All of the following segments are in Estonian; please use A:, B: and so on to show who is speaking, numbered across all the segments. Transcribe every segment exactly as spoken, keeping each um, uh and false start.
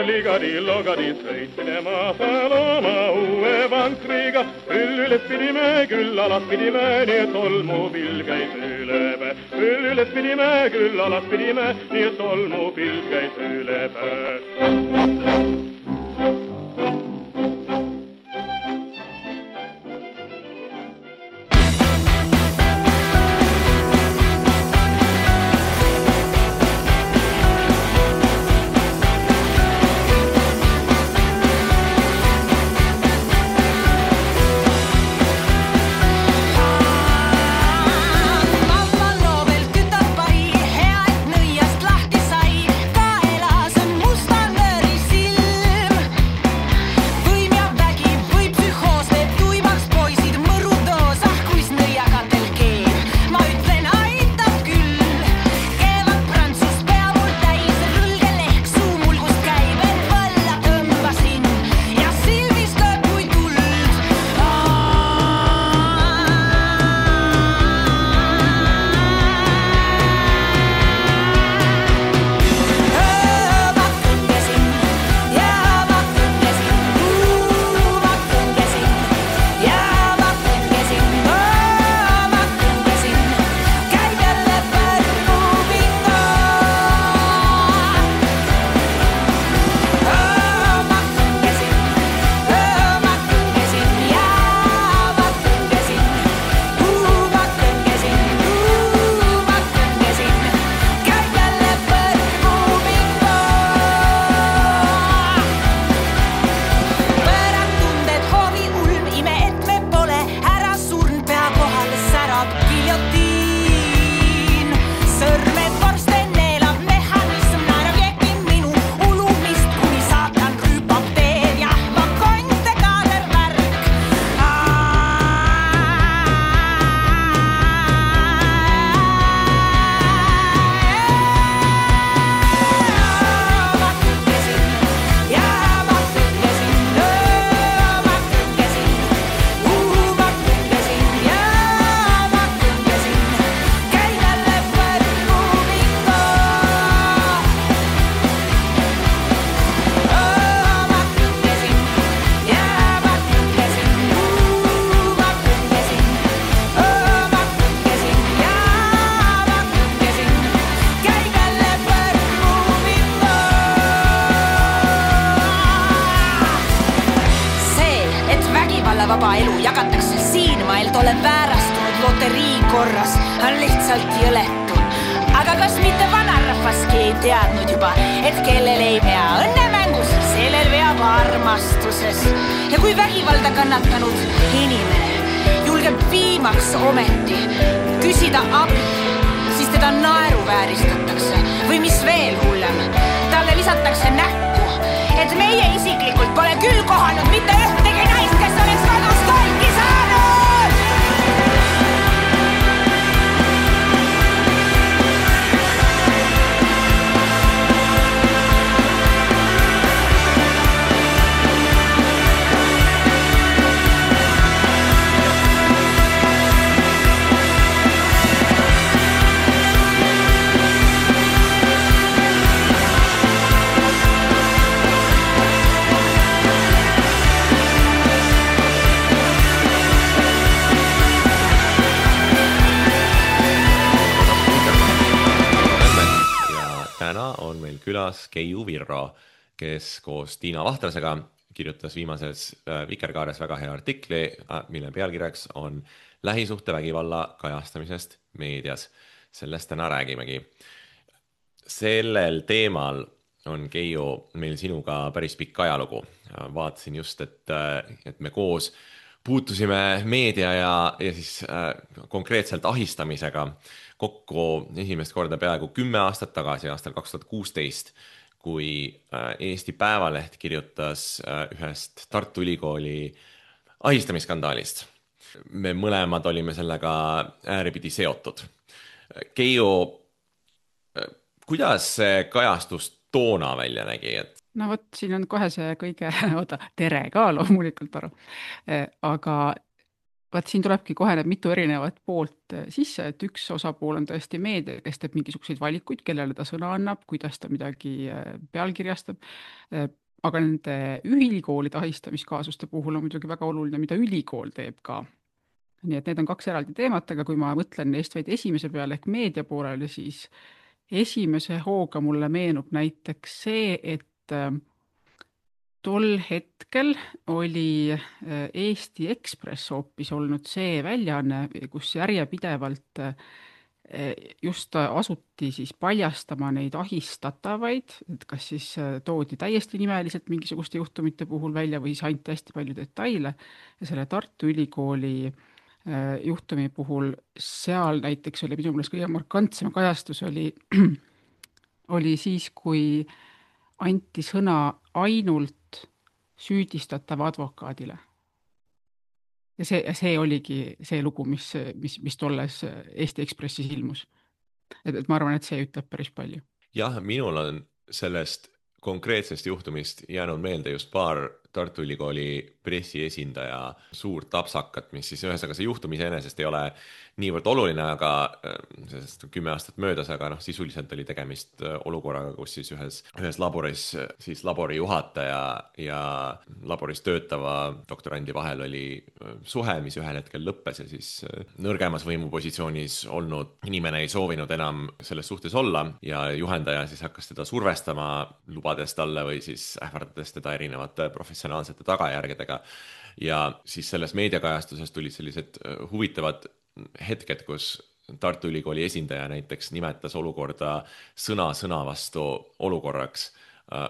A: Ligadi-logadi sõitsime maasal oma uue vankriga. Küll üles pidime, küll alas pidime, nii et tolmupilv käis üle päe. Küll üles pidime, küll alas pidime, nii et tolmupilv käis üle päe.
B: vaba elu jagatakse siin maailm ole väärastunud loterii korras on lihtsalt jõletu. Aga kas mitte vanarahvaski ei teadnud juba, et kellel ei pea õnnemängus, sellel veab armastuses. Ja kui vägivalda kannatanud inimene julgeb viimaks ometi küsida abi, siis teda naeruvääristatakse või mis veel hullem, talle lisatakse näkku, et meie isiklikult pole küll kohanud mitte ühtegi naist, kes oleks kodus kolki saanud.
C: On meil külas Keiu Virro, kes koos Tiina Vahtrasega kirjutas viimases Vikerkaares väga hea artikli, mille pealkirjaks on lähisuhtevägivalla kajastamisest meedias. Sellest täna räägimegi. Sellel teemal on Keiu meil sinuga päris pikk ajalugu. Vaatasin just, et, et me koos puutusime meedia ja, ja siis äh, konkreetselt ahistamisega kokku esimest korda peaaegu kümme aastat tagasi, aastal kaks tuhat kuusteist, kui äh, Eesti Päevaleht kirjutas äh, ühest Tartu Ülikooli ahistamisskandaalist. me mõlemad olime sellega ääripidi seotud. Keiu, kuidas see kajastus toona välja nägi, et
D: no vot, siin on kohe see kõige, oota, tere ka loomulikult aru, aga vaat siin tulebki kohe need mitu erinevat poolt sisse, et üks osapool on tõesti meedia, kes teeb mingisuguseid valikuid, kellele ta sõna annab, kuidas ta midagi pealkirjastab, aga nende ülikoolide ahistamiskaasuste puhul on muidugi väga oluline, mida ülikool teeb ka. Nii et need on kaks eraldi teemat, aga kui ma mõtlen neist vaid esimese peale ehk meedia poolele, siis esimese hooga mulle meenub näiteks see, et tol hetkel oli Eesti Ekspress hoopis olnud see väljaanne, kus järjepidevalt just asuti siis paljastama neid ahistatavaid, et kas siis toodi täiesti nimeliselt mingisuguste juhtumite puhul välja või siis anti hästi palju detaile ja selle Tartu Ülikooli juhtumi puhul seal näiteks oli minu meelest kõige markantsem kajastus oli, oli siis, kui anti sõna ainult süüdistatava advokaadile. Ja see, see oligi see lugu, mis, mis, mis tolles Eesti Ekspressis ilmus. Et, et ma arvan, et see ütleb päris palju.
C: Jah, minul on sellest konkreetsest juhtumist jäänud meelde just paar Tartu Ülikooli pressiesindaja suurt tapsakat, mis siis ühesõnaga see juhtum iseenesest ei ole niivõrd oluline, aga sellest kümme aastat möödas, aga noh, sisuliselt oli tegemist olukorraga, kus siis ühes, ühes laboris siis labori juhataja ja laboris töötava doktorandi vahel oli suhe, mis ühel hetkel lõppes ja siis nõrgemas võimupositsioonis olnud inimene ei soovinud enam selles suhtes olla ja juhendaja siis hakkas teda survestama, lubades talle või siis ähvardades teda erinevate professionaalsete tagajärgedega. Ja siis selles meediakajastuses tulid sellised huvitavad hetked, kus Tartu Ülikooli esindaja näiteks nimetas olukorda sõna sõna vastu olukorraks,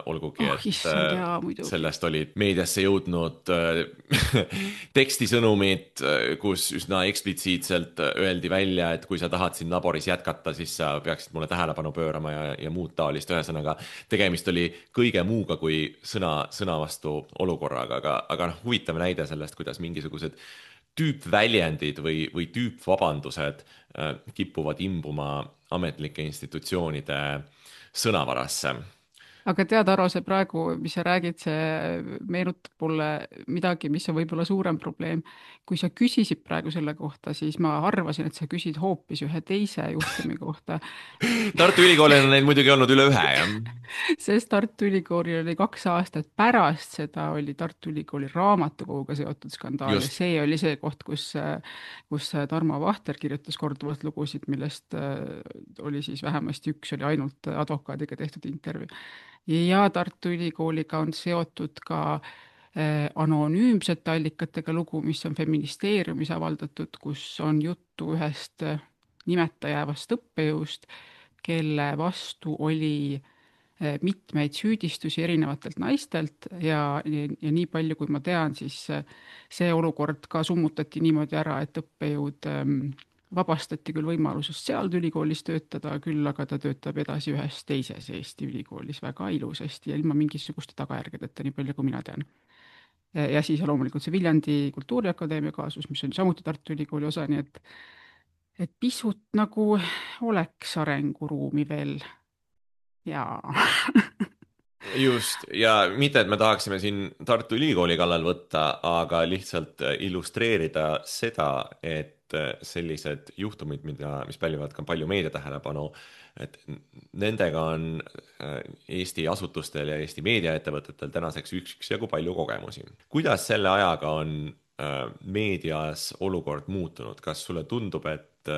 C: olgugi,
D: oh, issand, jaa,
C: et sellest olid meediasse jõudnud tekstisõnumid, kus üsna eksplitsiitselt öeldi välja, et kui sa tahad siin laboris jätkata, siis sa peaksid mulle tähelepanu pöörama ja, ja muud taolist. Ühesõnaga, tegemist oli kõige muuga kui sõna, sõna vastu olukorraga, aga, aga noh, huvitav näide sellest, kuidas mingisugused tüüpväljendid või, või tüüpvabandused kippuvad imbuma ametlike institutsioonide sõnavarasse.
D: Aga tead, Aro, see praegu, mis sa räägid, see meenutab mulle midagi, mis on võib-olla suurem probleem. Kui sa küsisid praegu selle kohta, siis ma arvasin, et sa küsid hoopis ühe teise juhtumi kohta.
C: Tartu Ülikoolil on neid muidugi olnud üle ühe, jah?
D: Sest Tartu Ülikoolil oli kaks aastat pärast seda oli Tartu Ülikooli raamatukoguga seotud skandaal. Ja see oli see koht, kus, kus Tarmo Vahter kirjutas korduvalt lugusid, millest oli siis vähemasti üks oli ainult advokaadiga tehtud intervjuu. Ja Tartu Ülikooliga on seotud ka eh, anonüümsete allikatega lugu, mis on Feministeeriumis avaldatud, kus on juttu ühest nimeta jäävast õppejõust, kelle vastu oli eh, mitmeid süüdistusi erinevatelt naistelt ja, ja, ja nii palju, kui ma tean, siis see olukord ka summutati niimoodi ära, et õppejõud eh, vabastati küll võimalusest seal ülikoolis töötada, küll aga ta töötab edasi ühes teises Eesti ülikoolis väga ilusasti ja ilma mingisuguste tagajärgedeta, nii palju kui mina tean. Ja siis loomulikult see Viljandi Kultuuriakadeemia kaasus, mis on samuti Tartu Ülikooli osa, nii et, et pisut nagu oleks arenguruumi veel. Jaa.
C: Just, ja mitte, et me tahaksime siin Tartu Ülikooli kallal võtta, aga lihtsalt illustreerida seda, et sellised juhtumid, mida, mis pälvivad ka palju meedia tähelepanu, et nendega on Eesti asutustel ja Eesti meediaettevõtetel tänaseks üksjagu palju kogemusi. Kuidas selle ajaga on meedias olukord muutunud? Kas sulle tundub, et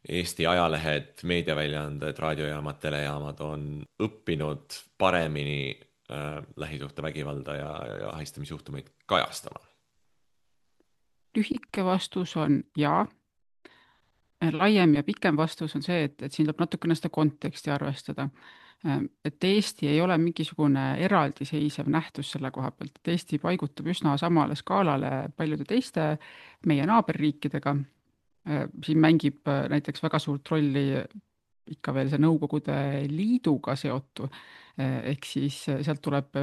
C: Eesti ajalehed, meediaväljaanded, raadiojaamad, telejaamad on õppinud paremini lähisuhte vägivalda ja, ja ahistamisjuhtumeid kajastama?
D: Lühike vastus on jaa. Laiem ja pikem vastus on see, et, et siin tuleb natukene seda konteksti arvestada. Et Eesti ei ole mingisugune eraldiseisev nähtus selle koha pealt, et Eesti paigutub üsna samale skaalale paljude teiste meie naaberriikidega. Siin mängib näiteks väga suurt rolli ikka veel see Nõukogude Liiduga seotu, ehk siis sealt tuleb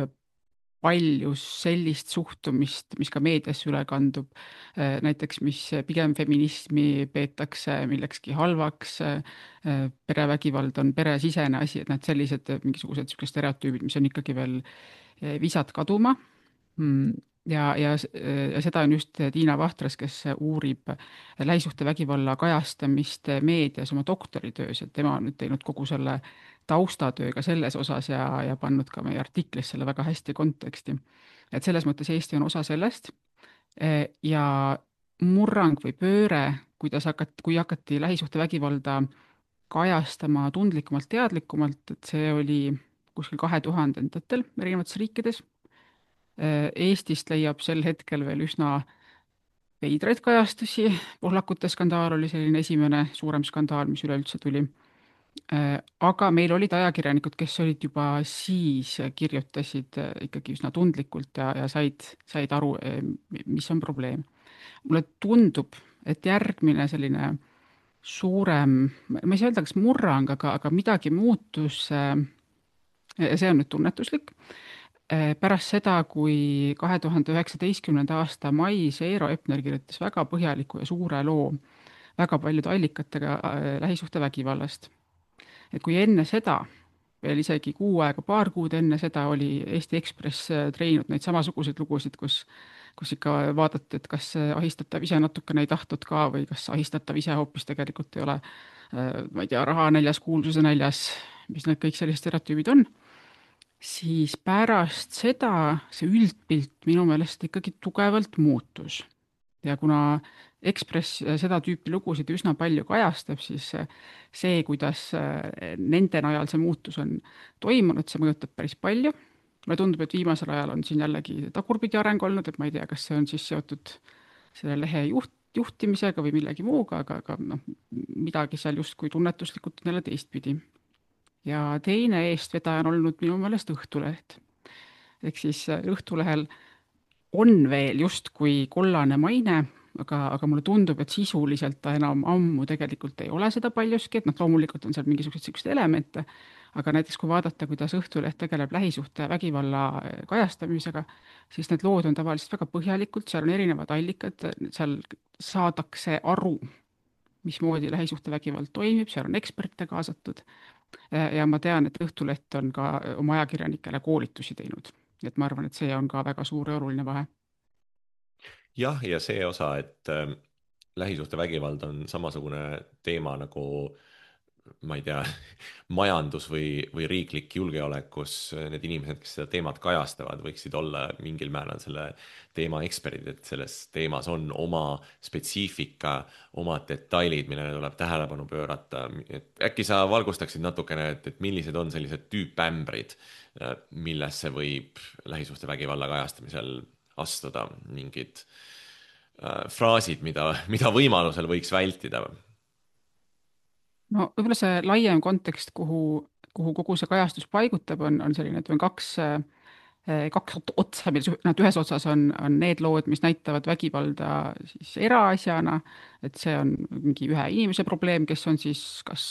D: palju sellist suhtumist, mis ka meediasse üle kandub, näiteks mis pigem feminismi peetakse millekski halvaks, perevägivald on peresisene asi, et need sellised mingisugused niisugused stereotüübid, mis on ikkagi veel visad kaduma. Ja, ja, ja seda on just Tiina Vahtras, kes uurib lähisuhtevägivalla kajastamist meedias oma doktoritöös, et tema on nüüd teinud kogu selle taustatööga selles osas ja, ja pannud ka meie artiklis selle väga hästi konteksti. Et selles mõttes Eesti on osa sellest ja murrang või pööre, kuidas hakati, kui hakati lähisuhtevägivalda kajastama tundlikumalt, teadlikumalt, et see oli kuskil kahe tuhandendatel erinevates riikides. Eestist leiab sel hetkel veel üsna veidraid kajastusi, pohlakute skandaal oli selline esimene suurem skandaal, mis üleüldse tuli. Aga meil olid ajakirjanikud, kes olid juba siis, kirjutasid ikkagi üsna tundlikult ja, ja said, said aru, mis on probleem. Mulle tundub, et järgmine selline suurem, ma ei saa öelda, kas murrang, aga, aga midagi muutus, see on nüüd tunnetuslik. Pärast seda, kui kahe tuhande üheksateistkümnenda aasta mais Eero Epner kirjutas väga põhjaliku ja suure loo väga paljude allikatega lähisuhtevägivallast. Et kui enne seda, veel isegi kuu aega, paar kuud enne seda oli Eesti Ekspress treeninud neid samasuguseid lugusid, kus, kus ikka vaadati, et kas ahistatav ise natukene ei tahtnud ka või kas ahistatav ise hoopis tegelikult ei ole, ma ei tea, raha näljas, kuulsuse näljas, mis need kõik sellised stereotüübid on. Siis pärast seda see üldpilt minu meelest ikkagi tugevalt muutus. Ja kuna Ekspress seda tüüpi lugusid üsna palju kajastab, siis see, kuidas nende najal see muutus on toimunud, see mõjutab päris palju. Mulle tundub, et viimasel ajal on siin jällegi tagurpidi areng olnud, et ma ei tea, kas see on siis seotud selle lehe juht, juhtimisega või millegi muuga, aga, aga no, midagi seal justkui tunnetuslikult on jälle teistpidi. Ja teine eestvedaja on olnud minu meelest Õhtuleht. Ehk siis Õhtulehel on veel justkui kollane maine, aga, aga mulle tundub, et sisuliselt ta enam ammu tegelikult ei ole seda paljuski, et noh, loomulikult on seal mingisugused sellised elemente, aga näiteks kui vaadata, kuidas Õhtuleht tegeleb lähisuhte ja vägivalla kajastamisega, siis need lood on tavaliselt väga põhjalikult, seal on erinevad allikad, seal saadakse aru, mismoodi lähisuhtevägivald toimib, seal on eksperte kaasatud. Ja ma tean, et Õhtuleht on ka oma ajakirjanikele koolitusi teinud. Et ma arvan, et see on ka väga suur ja oluline vahe.
C: Jah, ja see osa, et äh, lähisuhtevägivald on samasugune teema nagu, ma ei tea, majandus või, või riiklik julgeolek, kus need inimesed, kes seda teemat kajastavad, võiksid olla mingil määral selle teema eksperdid, et selles teemas on oma spetsiifika, oma detailid, millele tuleb tähelepanu pöörata. Et äkki sa valgustaksid natukene, et, et millised on sellised tüüpämbrid, millesse võib lähisuhtevägivalla kajastamisel astuda, mingid äh, fraasid, mida, mida võimalusel võiks vältida?
D: No võib-olla see laiem kontekst, kuhu, kuhu kogu see kajastus paigutab, on, on selline, et on kaks, kaks otsa, nad ühes otsas on, on need lood, mis näitavad vägivalda siis eraasjana, et see on mingi ühe inimese probleem, kes on siis kas,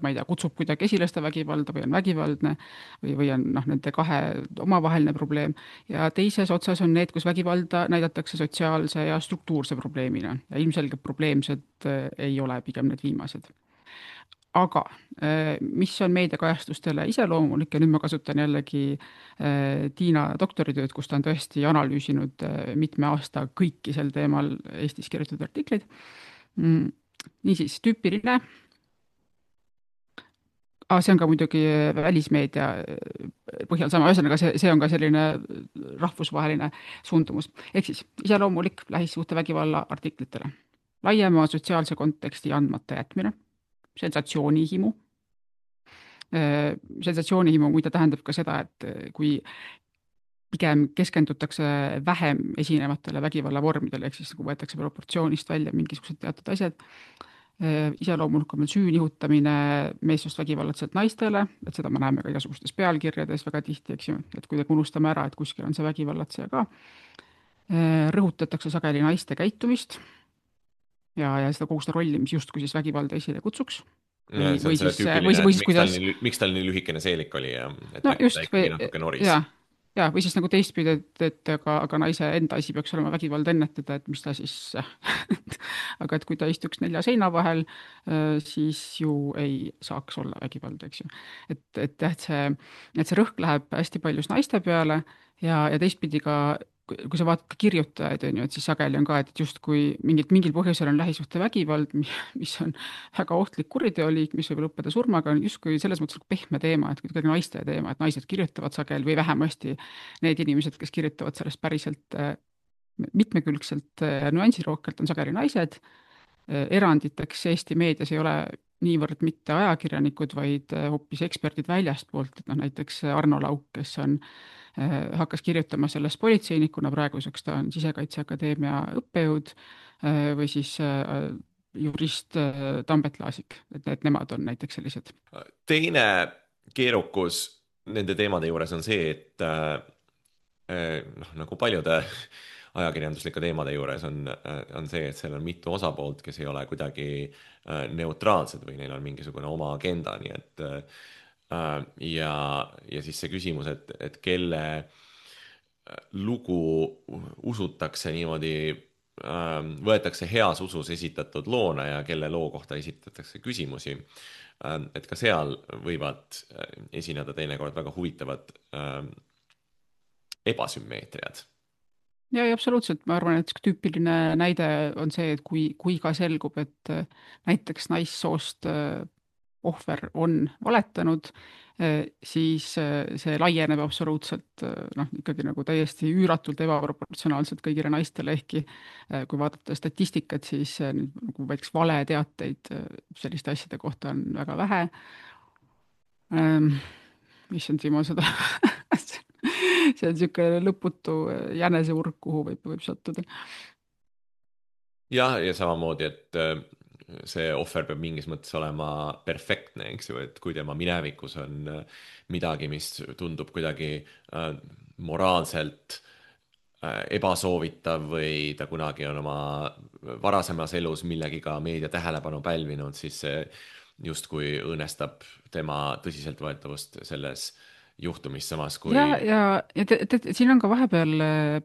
D: ma ei tea, kutsub kuidagi esile seda vägivalda või on vägivaldne või, või on noh, nende kahe omavaheline probleem. Ja teises otsas on need, kus vägivalda näidatakse sotsiaalse ja struktuurse probleemina ja ilmselgelt probleemsed ei ole pigem need viimased. Aga mis on meediakajastustele iseloomulik ja nüüd ma kasutan jällegi Tiina doktoritööd, kus ta on tõesti analüüsinud mitme aasta kõiki sel teemal Eestis kirjutatud artikleid. Niisiis, tüüpiline. Ah, see on ka muidugi välismeedia põhjal sama, ühesõnaga see, see on ka selline rahvusvaheline suundumus. Ehk siis iseloomulik lähisuhtevägivalla artiklitele. Laiema sotsiaalse konteksti andmata jätmine. Sensatsioonihimu. Sensatsioonihimu muide tähendab ka seda, et kui pigem keskendutakse vähem esinevatele vägivalla vormidele, ehk siis kui võetakse proportsioonist välja mingisugused teatud asjad, iseloomulikum on süü nihutamine meessoost vägivallatselt naistele, et seda me näeme ka igasugustes pealkirjades väga tihti, eks ju, et kuidagi unustame ära, et kuskil on see vägivallatseja ka. Rõhutatakse sageli naiste käitumist ja, ja seda kogu seda rolli, mis justkui siis vägivalda esile kutsuks.
C: Ja, või, või siis, või, või, miks, kuidas... tal nii, miks tal nii lühikene seelik oli ja et
D: no, just,
C: ta ikkagi natuke noris.
D: Ja, ja, või siis nagu teistpidi, et, et aga, aga naise enda asi peaks olema vägivald ennetada, et mis ta siis aga et kui ta istuks nelja seina vahel, siis ju ei saaks olla vägivald, eks ju. et, et jah, et see, et see rõhk läheb hästi paljus naiste peale ja, ja teistpidi ka kui kui sa vaatad ka kirjutajaid, on ju, et siis sageli on ka, et justkui mingit, mingil põhjusel on lähisuhtevägivald, mis on väga ohtlik kuriteoliik, mis võib lõppeda surmaga, on justkui selles mõttes pehme teema, et kuidagi naiste teema, et naised kirjutavad sageli või vähemasti need inimesed, kes kirjutavad sellest päriselt mitmekülgselt ja nüansirohkelt, on sageli naised. Eranditeks Eesti meedias ei ole niivõrd mitte ajakirjanikud, vaid hoopis eksperdid väljastpoolt, et noh, näiteks Arno Lauk, kes on, hakkas kirjutama sellest politseinikuna, praeguseks ta on Sisekaitseakadeemia õppejõud, või siis jurist Tambet Laasik, et need nemad on näiteks sellised.
C: Teine keerukus nende teemade juures on see, et noh, nagu paljude ajakirjanduslike teemade juures on, on see, et seal on mitu osapoolt, kes ei ole kuidagi neutraalsed või neil on mingisugune oma agenda, nii et ja, ja siis see küsimus, et, et kelle lugu usutakse niimoodi, võetakse heas usus esitatud loona ja kelle loo kohta esitatakse küsimusi, et ka seal võivad esineda teinekord väga huvitavad ebasümmeetriad.
D: Ja, ja absoluutselt, ma arvan, et tüüpiline näide on see, et kui, kui ka selgub, et näiteks naissoost ohver on valetanud, siis see laieneb absoluutselt noh, ikkagi nagu täiesti üüratult ebaproportsionaalselt kõigile naistele, ehkki kui vaadata statistikat, siis nagu näiteks valeteateid selliste asjade kohta on väga vähe. Mis on Timo seda see on niisugune lõputu jäneseurg, kuhu võib, võib sattuda.
C: Jah, ja samamoodi, et see ohver peab mingis mõttes olema perfektne, eks ju, et kui tema minevikus on midagi, mis tundub kuidagi moraalselt ebasoovitav või ta kunagi on oma varasemas elus millegiga meedia tähelepanu pälvinud, siis see justkui õõnestab tema tõsiseltvõetavust selles juhtumis, samas kui...
D: Ja, ja, ja te, te, siin on ka vahepeal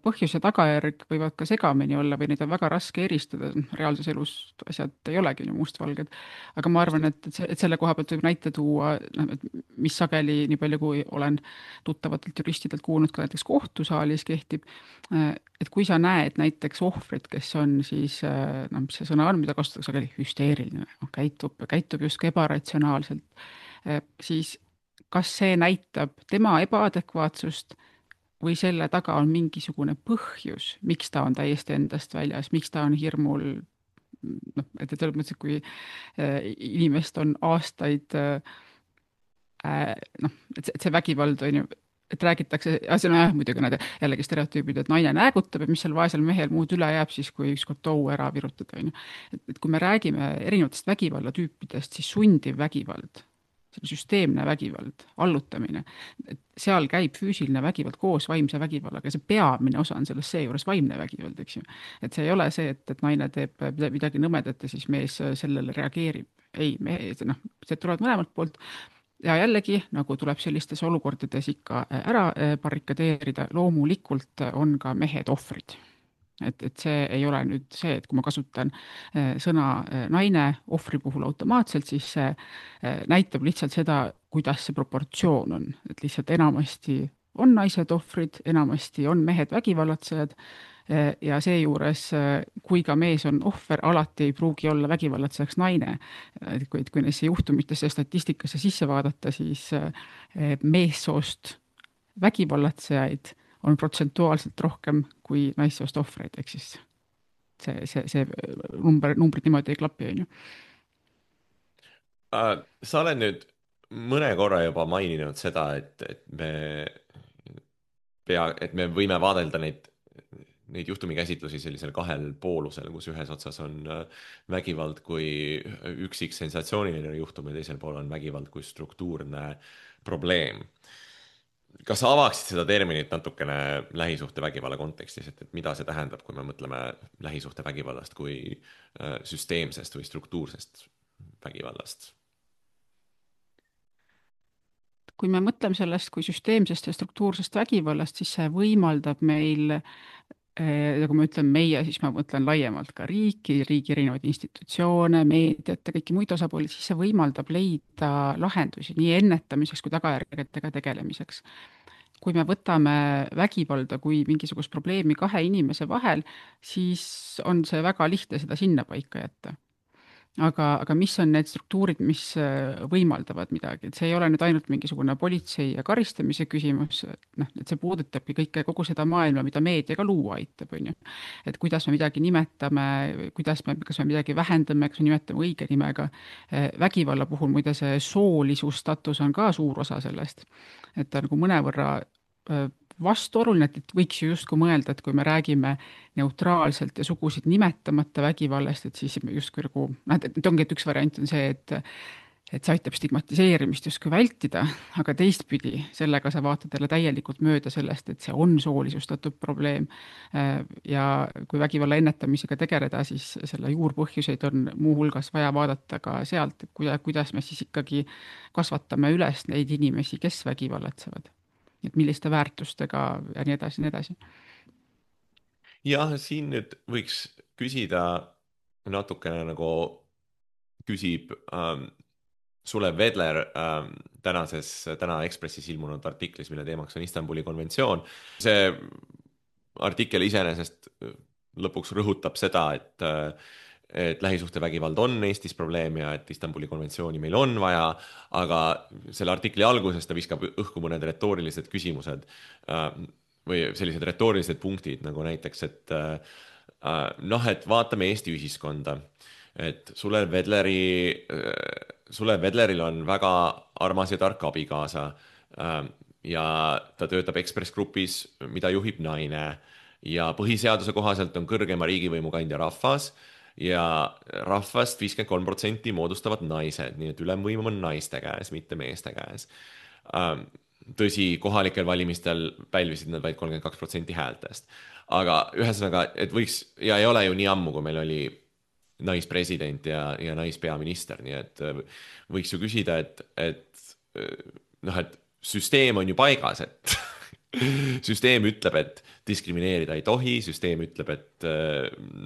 D: põhjus ja tagajärg võivad ka segamini olla või neid on väga raske eristada. Reaalses elus asjad ei olegi ju mustvalged. Aga ma arvan, et, et, see, et selle koha pealt võib näite tuua, et mis sageli, nii palju kui olen tuttavatelt juristidelt kuulnud, ka näiteks kohtusaalis kehtib, et kui sa näed näiteks ohvrit, kes on siis, no mis see sõna on, mida kasutatakse sageli, hüsteeriline, käitub, käitub justkui ebaratsionaalselt, siis kas see näitab tema ebaadekvaatsust või selle taga on mingisugune põhjus, miks ta on täiesti endast väljas, miks ta on hirmul, noh, et selles mõttes, et kui inimest on aastaid, noh, et see vägivald on ju, et räägitakse, see on jah, muidugi näide jällegi stereotüübid, et naine näägutab, et mis seal vaesel mehel muud üle jääb siis, kui ükskord tou ära virutada. Et, et kui me räägime erinevatest vägivallatüüpidest, siis sundiv vägivald, süsteemne vägivald, allutamine, et seal käib füüsiline vägivald koos vaimse vägivallaga ja see peamine osa on selles seejuures vaimne vägivald, eks ju. Et see ei ole see, et, et naine teeb midagi nõmedat ja siis mees sellele reageerib. Ei, me, noh, see tulevad mõlemalt poolt ja jällegi, nagu tuleb sellistes olukordades ikka ära barrikadeerida, loomulikult on ka mehed ohvrid. Et, et see ei ole nüüd see, et kui ma kasutan sõna naine ohvri puhul automaatselt, siis see näitab lihtsalt seda, kuidas see proportsioon on. Et lihtsalt enamasti on naised ohvrid, enamasti on mehed vägivallatsejad ja seejuures, kui ka mees on ohver, alati ei pruugi olla vägivallatsejaks naine. Kuid kui neisse juhtumitesse ja statistikasse sisse vaadata, siis meessoost vägivallatsejaid on protsentuaalselt rohkem kui naissoost ohvreid, ehk siis see, see, see number, numbrid niimoodi ei klapi, on ju.
C: Sa oled nüüd mõne korra juba maininud seda, et, et me pea, et me võime vaadelda neid, neid juhtumikäsitlusi sellisel kahel poolusel, kus ühes otsas on vägivald kui üksik sensatsiooniline juhtum ja teisel pool on vägivald kui struktuurne probleem. Kas sa avaksid seda terminit natukene lähisuhte vägivalla kontekstis, et, et mida see tähendab, kui me mõtleme lähisuhte vägivallast kui süsteemsest või struktuursest vägivallast?
D: kui me mõtleme sellest kui süsteemsest ja struktuursest vägivallast, siis see võimaldab meil, ja kui ma ütlen meie, siis ma mõtlen laiemalt ka riiki, riigi erinevaid institutsioone, meediat ja kõiki muid osapooli, siis see võimaldab leida lahendusi nii ennetamiseks kui tagajärgedega tegelemiseks. Kui me võtame vägivalda kui mingisugust probleemi kahe inimese vahel, siis on see väga lihtne seda sinna paika jätta. Aga, aga mis on need struktuurid, mis võimaldavad midagi, et see ei ole nüüd ainult mingisugune politsei ja karistamise küsimus, noh, et see puudutabki kõike, kogu seda maailma, mida meedia ka luua aitab, on ju. Et kuidas me midagi nimetame, kuidas me, kas me midagi vähendame, kas me nimetame õige nimega. Vägivalla puhul muide see soolisustatus on ka suur osa sellest, et ta nagu mõnevõrra vastuoluline, et võiks ju justkui mõelda, et kui me räägime neutraalselt ja sugusid nimetamata vägivallast, et siis justkui nagu, noh, et ongi, et üks variant on see, et et see aitab stigmatiseerimist justkui vältida, aga teistpidi sellega sa vaatad jälle täielikult mööda sellest, et see on soolisustatud probleem. Ja kui vägivalla ennetamisega tegeleda, siis selle juurpõhjuseid on muu hulgas vaja vaadata ka sealt, kuidas me siis ikkagi kasvatame üles neid inimesi, kes vägivallatsevad. Et milliste väärtustega ja nii edasi, nii edasi.
C: Jah, siin nüüd võiks küsida natukene nagu küsib ähm, Sulev Vedler ähm, tänases, täna Ekspressis ilmunud artiklis, mille teemaks on Istanbuli konventsioon. See artikkel iseenesest lõpuks rõhutab seda, et et lähisuhtevägivald on Eestis probleem ja et Istanbuli konventsiooni meil on vaja, aga selle artikli alguses ta viskab õhku mõned retoorilised küsimused või sellised retoorilised punktid, nagu näiteks, et noh, et vaatame Eesti ühiskonda, et Sulev Vedleri, Sulev Vedleril on väga armas ja tark abikaasa ja ta töötab Ekspress Grupis, mida juhib naine ja põhiseaduse kohaselt on kõrgema riigivõimu kandja rahvas ja rahvast viiskümmend kolm protsenti moodustavad naised, nii et ülemvõim on naiste käes, mitte meeste käes. Tõsi, kohalikel valimistel pälvisid nad vaid kolmkümmend kaks protsenti häältest. Aga ühesõnaga, et võiks, ja ei ole ju nii ammu, kui meil oli naispresident ja, ja naispeaminister, nii et võiks ju küsida, et, et, noh, et süsteem on ju paigas, et süsteem ütleb, et diskrimineerida ei tohi, süsteem ütleb, et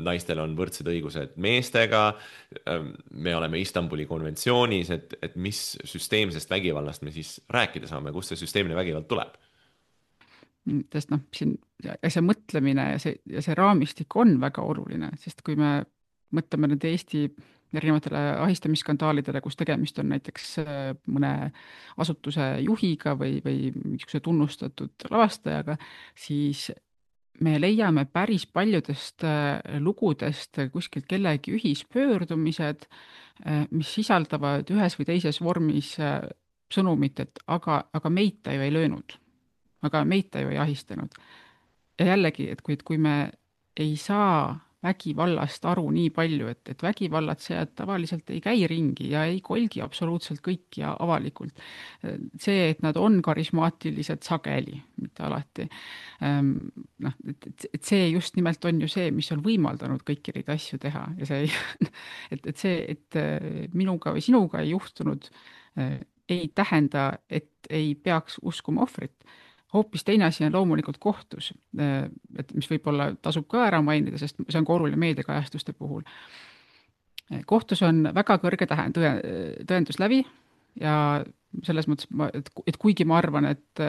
C: naistel on võrdsed õigused meestega, me oleme Istanbuli konventsioonis, et, et mis süsteemsest vägivallast me siis rääkida saame, kust see süsteemne vägivald tuleb?
D: Sest noh, siin see mõtlemine ja see, ja see raamistik on väga oluline, sest kui me mõtleme nüüd Eesti erinevatele ahistamisskandaalidele, kus tegemist on näiteks mõne asutuse juhiga või, või mingisuguse tunnustatud lavastajaga, siis me leiame päris paljudest lugudest kuskilt kellegi ühispöördumised, mis sisaldavad ühes või teises vormis sõnumit, et aga, aga meid ta ju ei löönud, aga meid ta ju ei ahistanud. Ja jällegi, et kui, et kui me ei saa vägivallast aru nii palju, et, et vägivallatsejad tavaliselt ei käi ringi ja ei kolgi absoluutselt kõik ja avalikult. See, et nad on karismaatilised sageli, mitte alati. Noh, et, et see just nimelt on ju see, mis on võimaldanud kõiki neid asju teha ja see, et, et see, et minuga või sinuga ei juhtunud, ei tähenda, et ei peaks uskuma ohvrit. Hoopis teine asi on loomulikult kohtus, et mis võib-olla tasub ka ära mainida, sest see on ka oluline meediakajastuste puhul. Kohtus on väga kõrge tõenduslävi ja selles mõttes, et kuigi ma arvan, et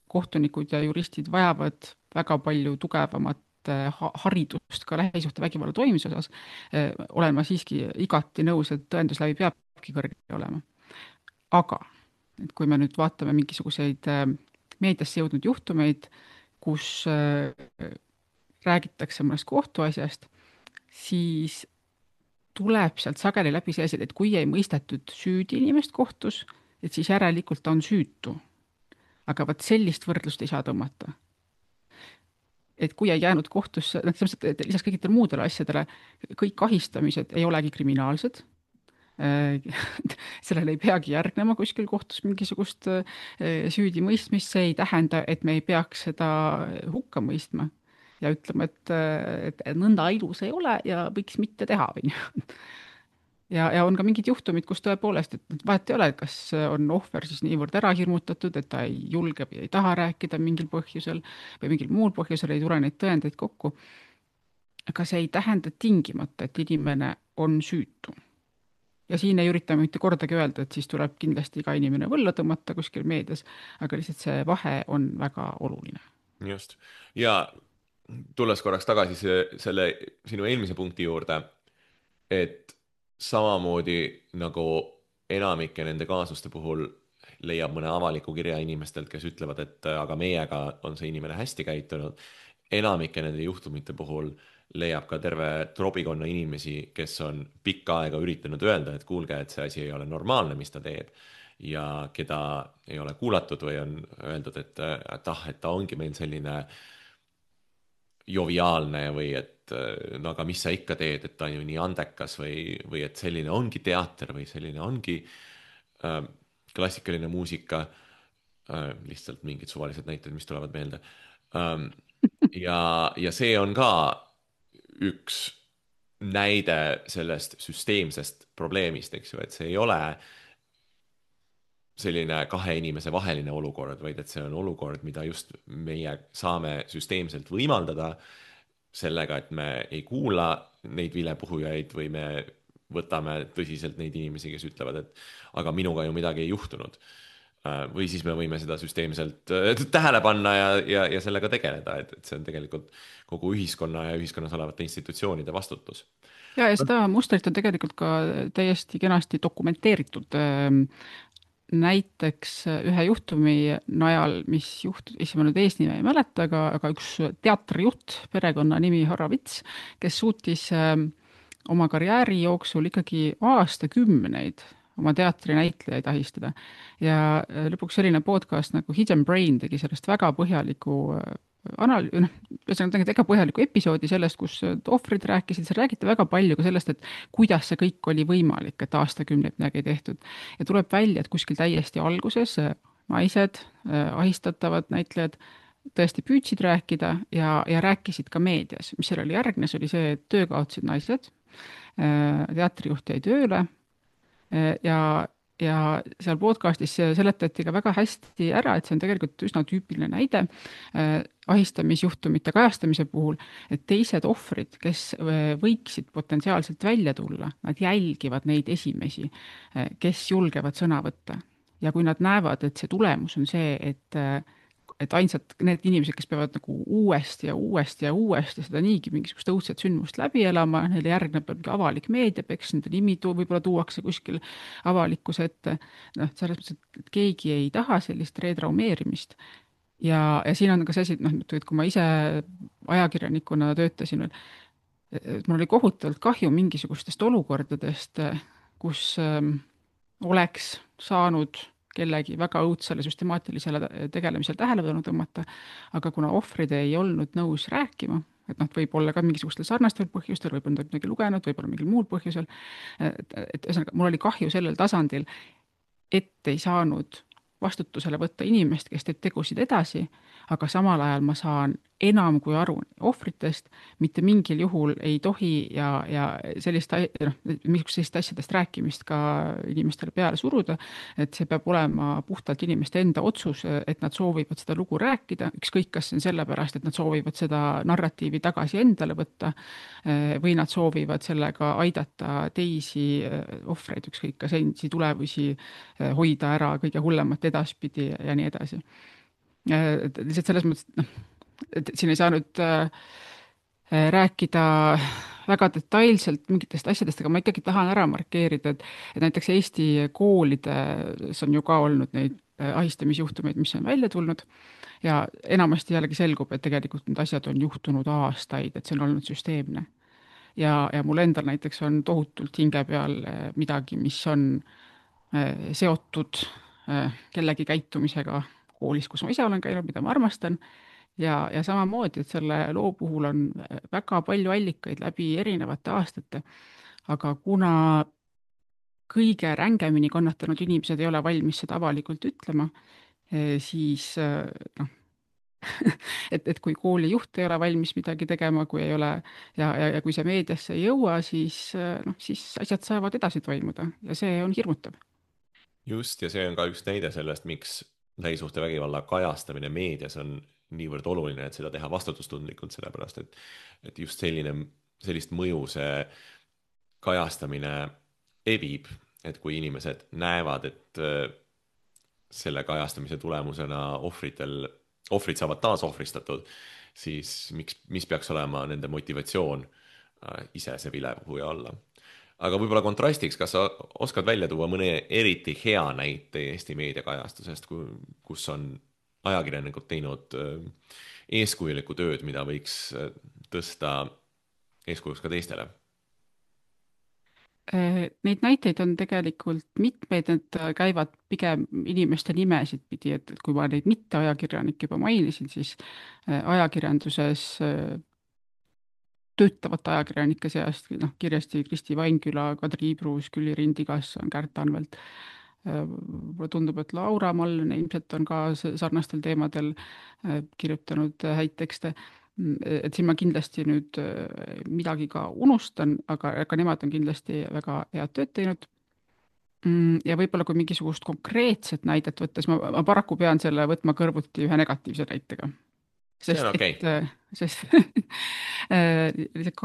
D: kohtunikud ja juristid vajavad väga palju tugevamat haridust ka lähisuhtevägivalla toimimise osas, olen ma siiski igati nõus, et tõenduslävi peabki kõrge olema. Aga et kui me nüüd vaatame mingisuguseid meediasse jõudnud juhtumeid, kus räägitakse mõnest kohtuasjast, siis tuleb sealt sageli läbi see asi, et kui ei mõistetud süüdi inimest kohtus, et siis järelikult ta on süütu. Aga vaat sellist võrdlust ei saa tõmmata. Et kui ei jäänud kohtusse, et lisaks kõigitele muudele asjadele, kõik ahistamised ei olegi kriminaalsed, sellele ei peagi järgnema kuskil kohtus mingisugust süüdi mõistmist, see ei tähenda, et me ei peaks seda hukka mõistma ja ütlema, et, et nõnda ilus ei ole ja võiks mitte teha. ja, ja on ka mingid juhtumid, kus tõepoolest, et vahet ei ole, kas on ohver siis niivõrd ära hirmutatud, et ta ei julge või ei taha rääkida mingil põhjusel või mingil muul põhjusel ei tule neid tõendeid kokku. Aga see ei tähenda tingimata, et inimene on süütu. Ja siin ei ürita mitte kordagi öelda, et siis tuleb kindlasti iga inimene võlla tõmmata kuskil meedias, aga lihtsalt see vahe on väga oluline.
C: Just. Ja tulles korraks tagasi see, selle sinu eelmise punkti juurde, et samamoodi nagu enamike nende kaasuste puhul leiab mõne avaliku kirja inimestelt, kes ütlevad, et aga meiega on see inimene hästi käitunud, enamike nende juhtumite puhul leiab ka terve trobikonna inimesi, kes on pikka aega üritanud öelda, et kuulge, et see asi ei ole normaalne, mis ta teeb. Ja keda ei ole kuulatud või on öeldud, et, et ah, et ta ongi meil selline joviaalne või et no aga mis sa ikka teed, et ta on ju nii andekas või, või et selline ongi teater või selline ongi äh, klassikaline muusika. Äh, lihtsalt mingid suvalised näited, mis tulevad meelde. Ähm, ja, ja see on ka üks näide sellest süsteemsest probleemist, eks ju, et see ei ole selline kahe inimese vaheline olukord, vaid et see on olukord, mida just meie saame süsteemselt võimaldada sellega, et me ei kuula neid vilepuhujaid või me võtame tõsiselt neid inimesi, kes ütlevad, et aga minuga ju midagi ei juhtunud. Või siis me võime seda süsteemselt tähele panna ja, ja, ja sellega tegeleda, et, et see on tegelikult kogu ühiskonna ja ühiskonnas olevate institutsioonide vastutus.
D: Ja, ja seda mustrit on tegelikult ka täiesti kenasti dokumenteeritud. Näiteks ühe juhtumi najal, mis juhtus, ise ma nüüd eesnime ei mäleta, aga, aga üks teatrijuht, perekonna nimi Horovits, kes suutis oma karjääri jooksul ikkagi aastakümneid oma teatrinäitlejaid ahistada. Ja lõpuks selline podcast nagu Hidden Brain tegi sellest väga põhjaliku anal-, noh, ühesõnaga väga põhjaliku episoodi sellest, kus ohvrid rääkisid, seal räägiti väga palju ka sellest, et kuidas see kõik oli võimalik, et aastakümneid midagi tehtud. Ja tuleb välja, et kuskil täiesti alguses naised, ahistatavad näitlejad tõesti püüdsid rääkida ja, ja rääkisid ka meedias. Mis seal oli järgnes, oli see, et töö kaotsid naised, teatrijuht jäi tööle ja ja seal podcastis seletati ka väga hästi ära, et see on tegelikult üsna tüüpiline näide äh, ahistamisjuhtumite kajastamise puhul, et teised ohvrid, kes võiksid potentsiaalselt välja tulla, nad jälgivad neid esimesi, äh, kes julgevad sõna võtta. Ja kui nad näevad, et see tulemus on see, et äh, et ainsad need inimesed, kes peavad nagu uuesti ja uuesti ja uuesti seda niigi mingisugust õudset sündmust läbi elama, neile järgneb avalik meediapeks, nende nimi tu, võib-olla tuuakse kuskil avalikkuse ette. Noh, selles mõttes, et keegi ei taha sellist retraumeerimist. Ja, ja siin on ka see asi, noh, et kui ma ise ajakirjanikuna töötasin, et mul oli kohutavalt kahju mingisugustest olukordadest, kus ähm, oleks saanud kellegi väga õudsele süstemaatilisele tegelemisel tähelepanu tõmmata, aga kuna ohvrid ei olnud nõus rääkima, et noh, võib olla ka mingisugustel sarnastel põhjustel, võib olla midagi lugenud, võib olla mingil muul põhjusel, et, et ühesõnaga, mul oli kahju sellel tasandil, et ei saanud vastutusele võtta inimest, kes teeb tegusid edasi, aga samal ajal ma saan enam kui aru ohvritest, mitte mingil juhul ei tohi ja, ja sellist, noh, sellist asjadest rääkimist ka inimestele peale suruda, et see peab olema puhtalt inimeste enda otsus, et nad soovivad seda lugu rääkida, ükskõik kas see on sellepärast, et nad soovivad seda narratiivi tagasi endale võtta või nad soovivad sellega aidata teisi ohvreid, ükskõik kas endisi tulevusi hoida ära kõige hullemat edaspidi ja nii edasi. Lihtsalt selles mõttes, noh, et siin ei saanud äh, rääkida väga detailselt mingitest asjadest, aga ma ikkagi tahan ära markeerida, et, et näiteks Eesti koolides on ju ka olnud neid ahistamisjuhtumeid, mis on välja tulnud ja enamasti jällegi selgub, et tegelikult need asjad on juhtunud aastaid, et see on olnud süsteemne. Ja, ja mul endal näiteks on tohutult hinge peal midagi, mis on äh, seotud äh, kellegi käitumisega koolis, kus ma ise olen käinud, mida ma armastan. Ja, ja samamoodi, et selle loo puhul on väga palju allikaid läbi erinevate aastate, aga kuna kõige rängemini kannatanud inimesed ei ole valmis seda avalikult ütlema, siis noh, et, et kui kooli juht ei ole valmis midagi tegema, kui ei ole ja, ja, ja kui see meediasse ei jõua, siis, noh, siis asjad saavad edasi toimuda ja see on hirmutav.
C: Just, ja see on ka üks näide sellest, miks lähisuhtevägivalla kajastamine meedias on niivõrd oluline, et seda teha vastutustundlikult, sellepärast et, et just selline, sellist mõju see kajastamine evib, et kui inimesed näevad, et selle kajastamise tulemusena ohvritel, ohvrid saavad taas ohvristatud, siis miks, mis peaks olema nende motivatsioon ise see vilepuhuja olla. Aga võib-olla kontrastiks, kas sa oskad välja tuua mõne eriti hea näite Eesti meediakajastusest, kus on ajakirjanikud teinud eeskujulikku tööd, mida võiks tõsta eeskujuks ka teistele?
D: Neid näiteid on tegelikult mitmeid, need käivad pigem inimeste nimesid pidi, et kui ma neid mitte ajakirjanik juba mainisin, siis ajakirjanduses töötavate ajakirjanike seast, noh, kirjasti Kristi Vainküla, Kadri Ibruus, Külli Rindikasson, Kärt Anvelt. Mulle tundub, et Laura Mallne ilmselt on ka sarnastel teemadel kirjutanud häid tekste. Et siin ma kindlasti nüüd midagi ka unustan, aga, aga nemad on kindlasti väga head tööd teinud. Ja võib-olla kui mingisugust konkreetset näidet võttes, ma, ma paraku pean selle võtma kõrvuti ühe negatiivse näitega. Sest,
C: see on okei.
D: Okay. Sest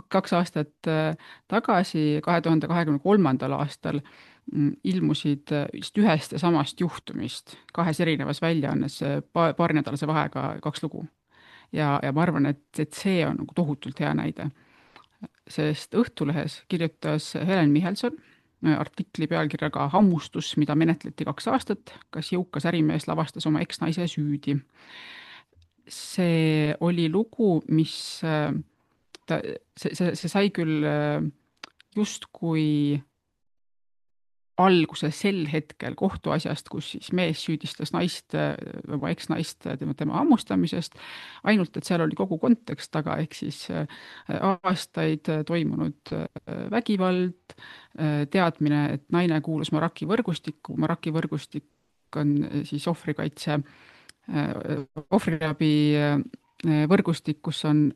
D: kaks aastat tagasi, kahe tuhande kahekümne kolmandal aastal ilmusid just ühest ja samast juhtumist kahes erinevas väljaannes paari nädalase vahega kaks lugu. Ja, ja ma arvan, et, et see on nagu tohutult hea näide. Sest Õhtulehes kirjutas Helen Michelson artikli pealkirjaga Hammustus, mida menetleti kaks aastat, kas jõukas ärimees lavastas oma eksnaise süüdi. See oli lugu, mis ta, see, see, see sai küll just kui alguse sel hetkel kohtuasjast, kus siis mees süüdistas naist, oma eksnaist tema, tema hammustamisest, ainult et seal oli kogu kontekst taga, ehk siis aastaid toimunud vägivald, teadmine, et naine kuulus Maraki võrgustikku, Maraki võrgustik on siis ohvrikaitse, ohvriabi võrgustik, kus on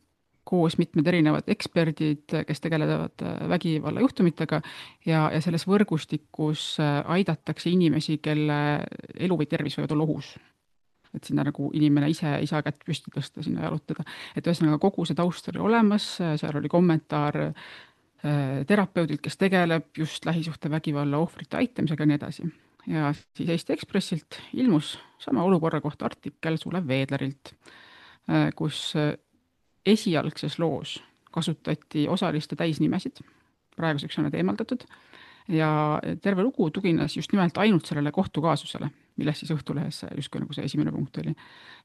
D: koos mitmed erinevad eksperdid, kes tegelevad vägivallajuhtumitega ja, ja selles võrgustikus aidatakse inimesi, kelle elu või tervis võivad olla ohus. Et sinna nagu inimene ise ei saa kätt püsti tõsta, sinna jalutada. Et ühesõnaga kogu see taust oli olemas, seal oli kommentaar terapeudilt, kes tegeleb just lähisuhte vägivalla ohvrite aitamisega ja nii edasi. Ja siis Eesti Ekspressilt ilmus sama olukorra kohta artikkel Sulev Veedlerilt, kus esialgses loos kasutati osaliste täisnimesid, praeguseks on need eemaldatud, ja terve lugu tugines just nimelt ainult sellele kohtukaasusele, milles siis Õhtulehes justkui nagu see esimene punkt oli.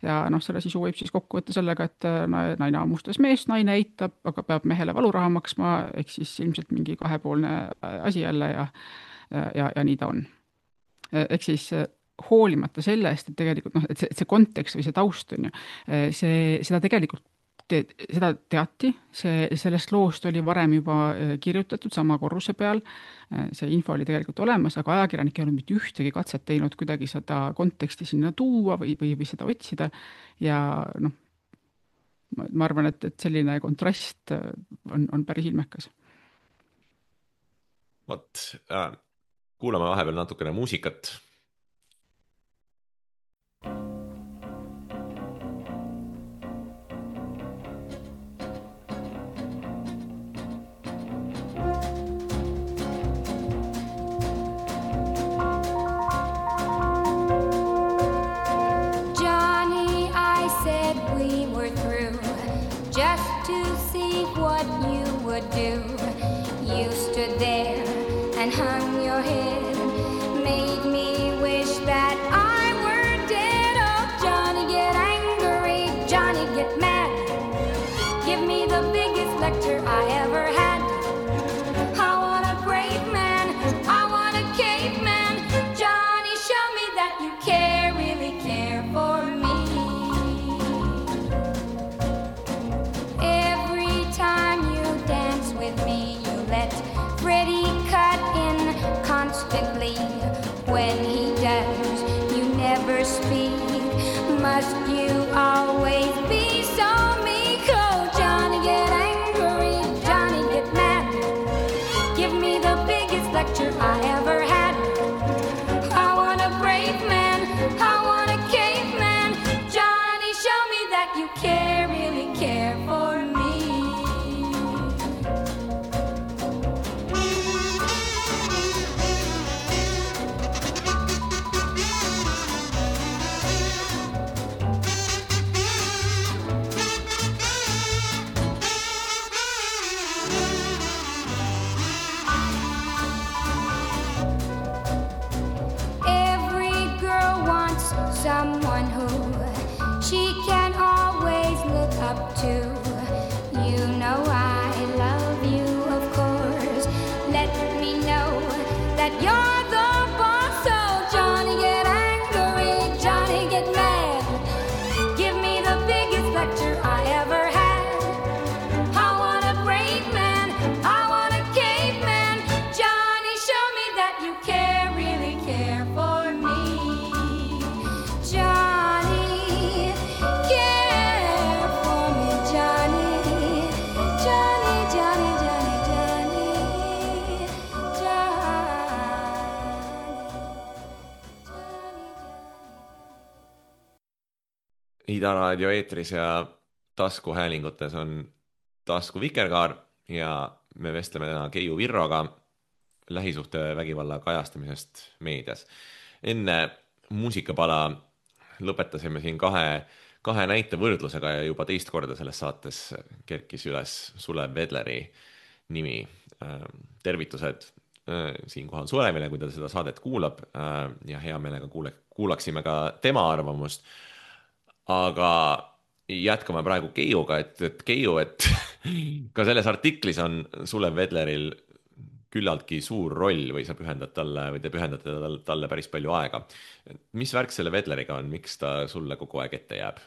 D: Ja noh, selle sisu võib siis kokku võtta sellega, et naine hammustas meest, naine eitab, aga peab mehele valuraha maksma, ehk siis ilmselt mingi kahepoolne asi jälle ja, ja, ja nii ta on. Ehk siis hoolimata sellest, et tegelikult noh, et see, see kontekst või see taust on ju, see, seda tegelikult Te, seda teati, see, sellest loost oli varem juba kirjutatud sama korruse peal, see info oli tegelikult olemas, aga ajakirjanik ei olnud mitte ühtegi katset teinud kuidagi seda konteksti sinna tuua või, või, või seda otsida ja noh, ma arvan, et, et selline kontrast on, on päris ilmekas.
C: Vot, äh, kuulame vahepeal natukene muusikat.
E: And hung your head, made me wish that I were dead. Oh, Johnny, get angry, Johnny, get mad. Give me the biggest lecture I ever had. I want a brave man, I want a caveman. Johnny, show me that you care, really care for me. Every time you dance with me, you let Freddie cut in constant.
C: Ida Raadio eetris ja taskuhäälingutes on Tasku Vikerkaar ja me vestleme täna Keiu Virroga lähisuhtevägivalla kajastamisest meedias. Enne muusikapala lõpetasime siin kahe, kahe näite võrdlusega ja juba teist korda selles saates kerkis üles Sulev Vedleri nimi. Tervitused siinkohal Sulevile, kui ta seda saadet kuulab ja hea meelega kuule, kuulaksime ka tema arvamust. Aga jätkame praegu Keiuga, et, et Keiu, et ka selles artiklis on Sulev Vedleril küllaltki suur roll või sa pühendad talle või te pühendate talle, talle päris palju aega. Mis värk selle Vedleriga on, miks ta sulle kogu aeg ette jääb?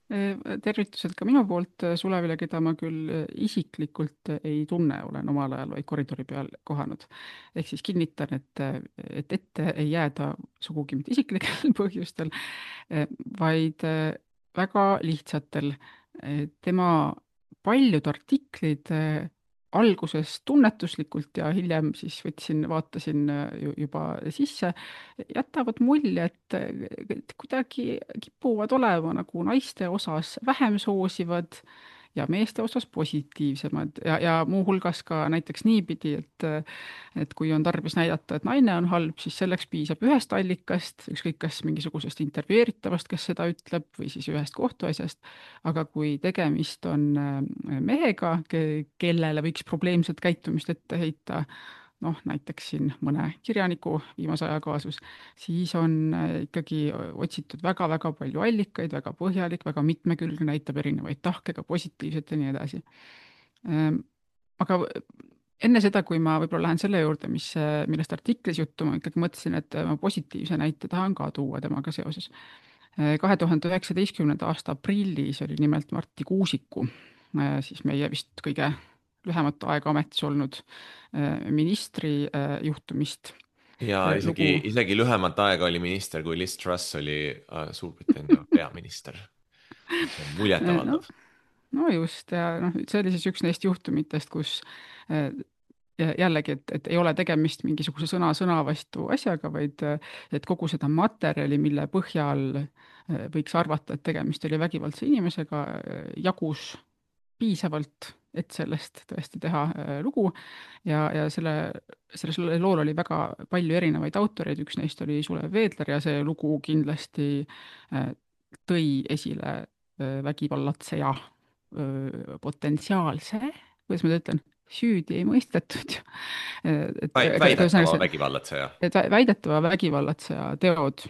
D: Tervitused ka minu poolt Sulevile, keda ma küll isiklikult ei tunne, olen omal ajal vaid koridori peal kohanud. Ehk siis kinnitan, et, et ette ei jääda sugugi mitte isiklikel põhjustel, vaid väga lihtsatel. Tema paljud artiklid alguses tunnetuslikult ja hiljem siis võtsin, vaatasin juba sisse, jätavad mulje, et, et kuidagi kipuvad olema nagu naiste osas vähem soosivad ja meeste osas positiivsemad ja, ja muuhulgas ka näiteks niipidi, et, et kui on tarvis näidata, et naine on halb, siis selleks piisab ühest allikast, ükskõik kas mingisugusest intervjueeritavast, kes seda ütleb, või siis ühest kohtuasjast. Aga kui tegemist on mehega, kellele võiks probleemset käitumist ette heita, noh, näiteks siin mõne kirjaniku viimase aja kaasus, siis on ikkagi otsitud väga-väga palju allikaid, väga põhjalik, väga mitmekülgne, näitab erinevaid tahke, ka positiivset ja nii edasi. Aga enne seda, kui ma võib-olla lähen selle juurde, mis, millest artiklis juttu, ma ikkagi mõtlesin, et ma positiivse näite tahan ka tuua temaga seoses. kahe tuhande üheksateistkümnenda aasta aprillis oli nimelt Martti Kuusiku, siis meie vist kõige lühemat aega ametis olnud ministri juhtumist.
C: Ja isegi, lugu... isegi lühemat aega oli minister, kui Liz Truss oli Suurbritannia peaminister. Muljetavaldav.
D: No, no just, ja noh, see oli siis üks neist juhtumitest, kus jällegi, et, et ei ole tegemist mingisuguse sõna sõna vastu asjaga, vaid et kogu seda materjali, mille põhjal võiks arvata, et tegemist oli vägivaldse inimesega, jagus piisavalt, et sellest tõesti teha lugu ja, ja selle, selle lool oli väga palju erinevaid autoreid, üks neist oli Sulev Vedler ja see lugu kindlasti tõi esile vägivallatseja potentsiaalse, kuidas ma ütlen, süüdi ei mõistetud.
C: Et, väidetava see, vägivallatseja.
D: Et väidetava vägivallatseja teod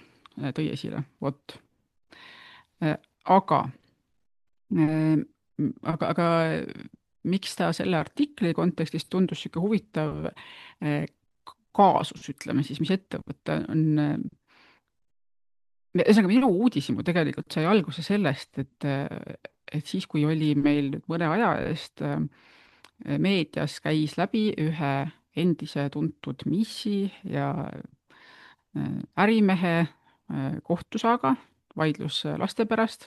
D: tõi esile, vot. Aga Aga, aga miks ta selle artikli kontekstis tundus siuke huvitav kaasus, ütleme siis, mis ettevõte on. Ühesõnaga, minu uudishimu tegelikult sai alguse sellest, et, et siis, kui oli meil mõne aja eest meedias käis läbi ühe endise tuntud missi ja ärimehe kohtusaaga, vaidlus laste pärast,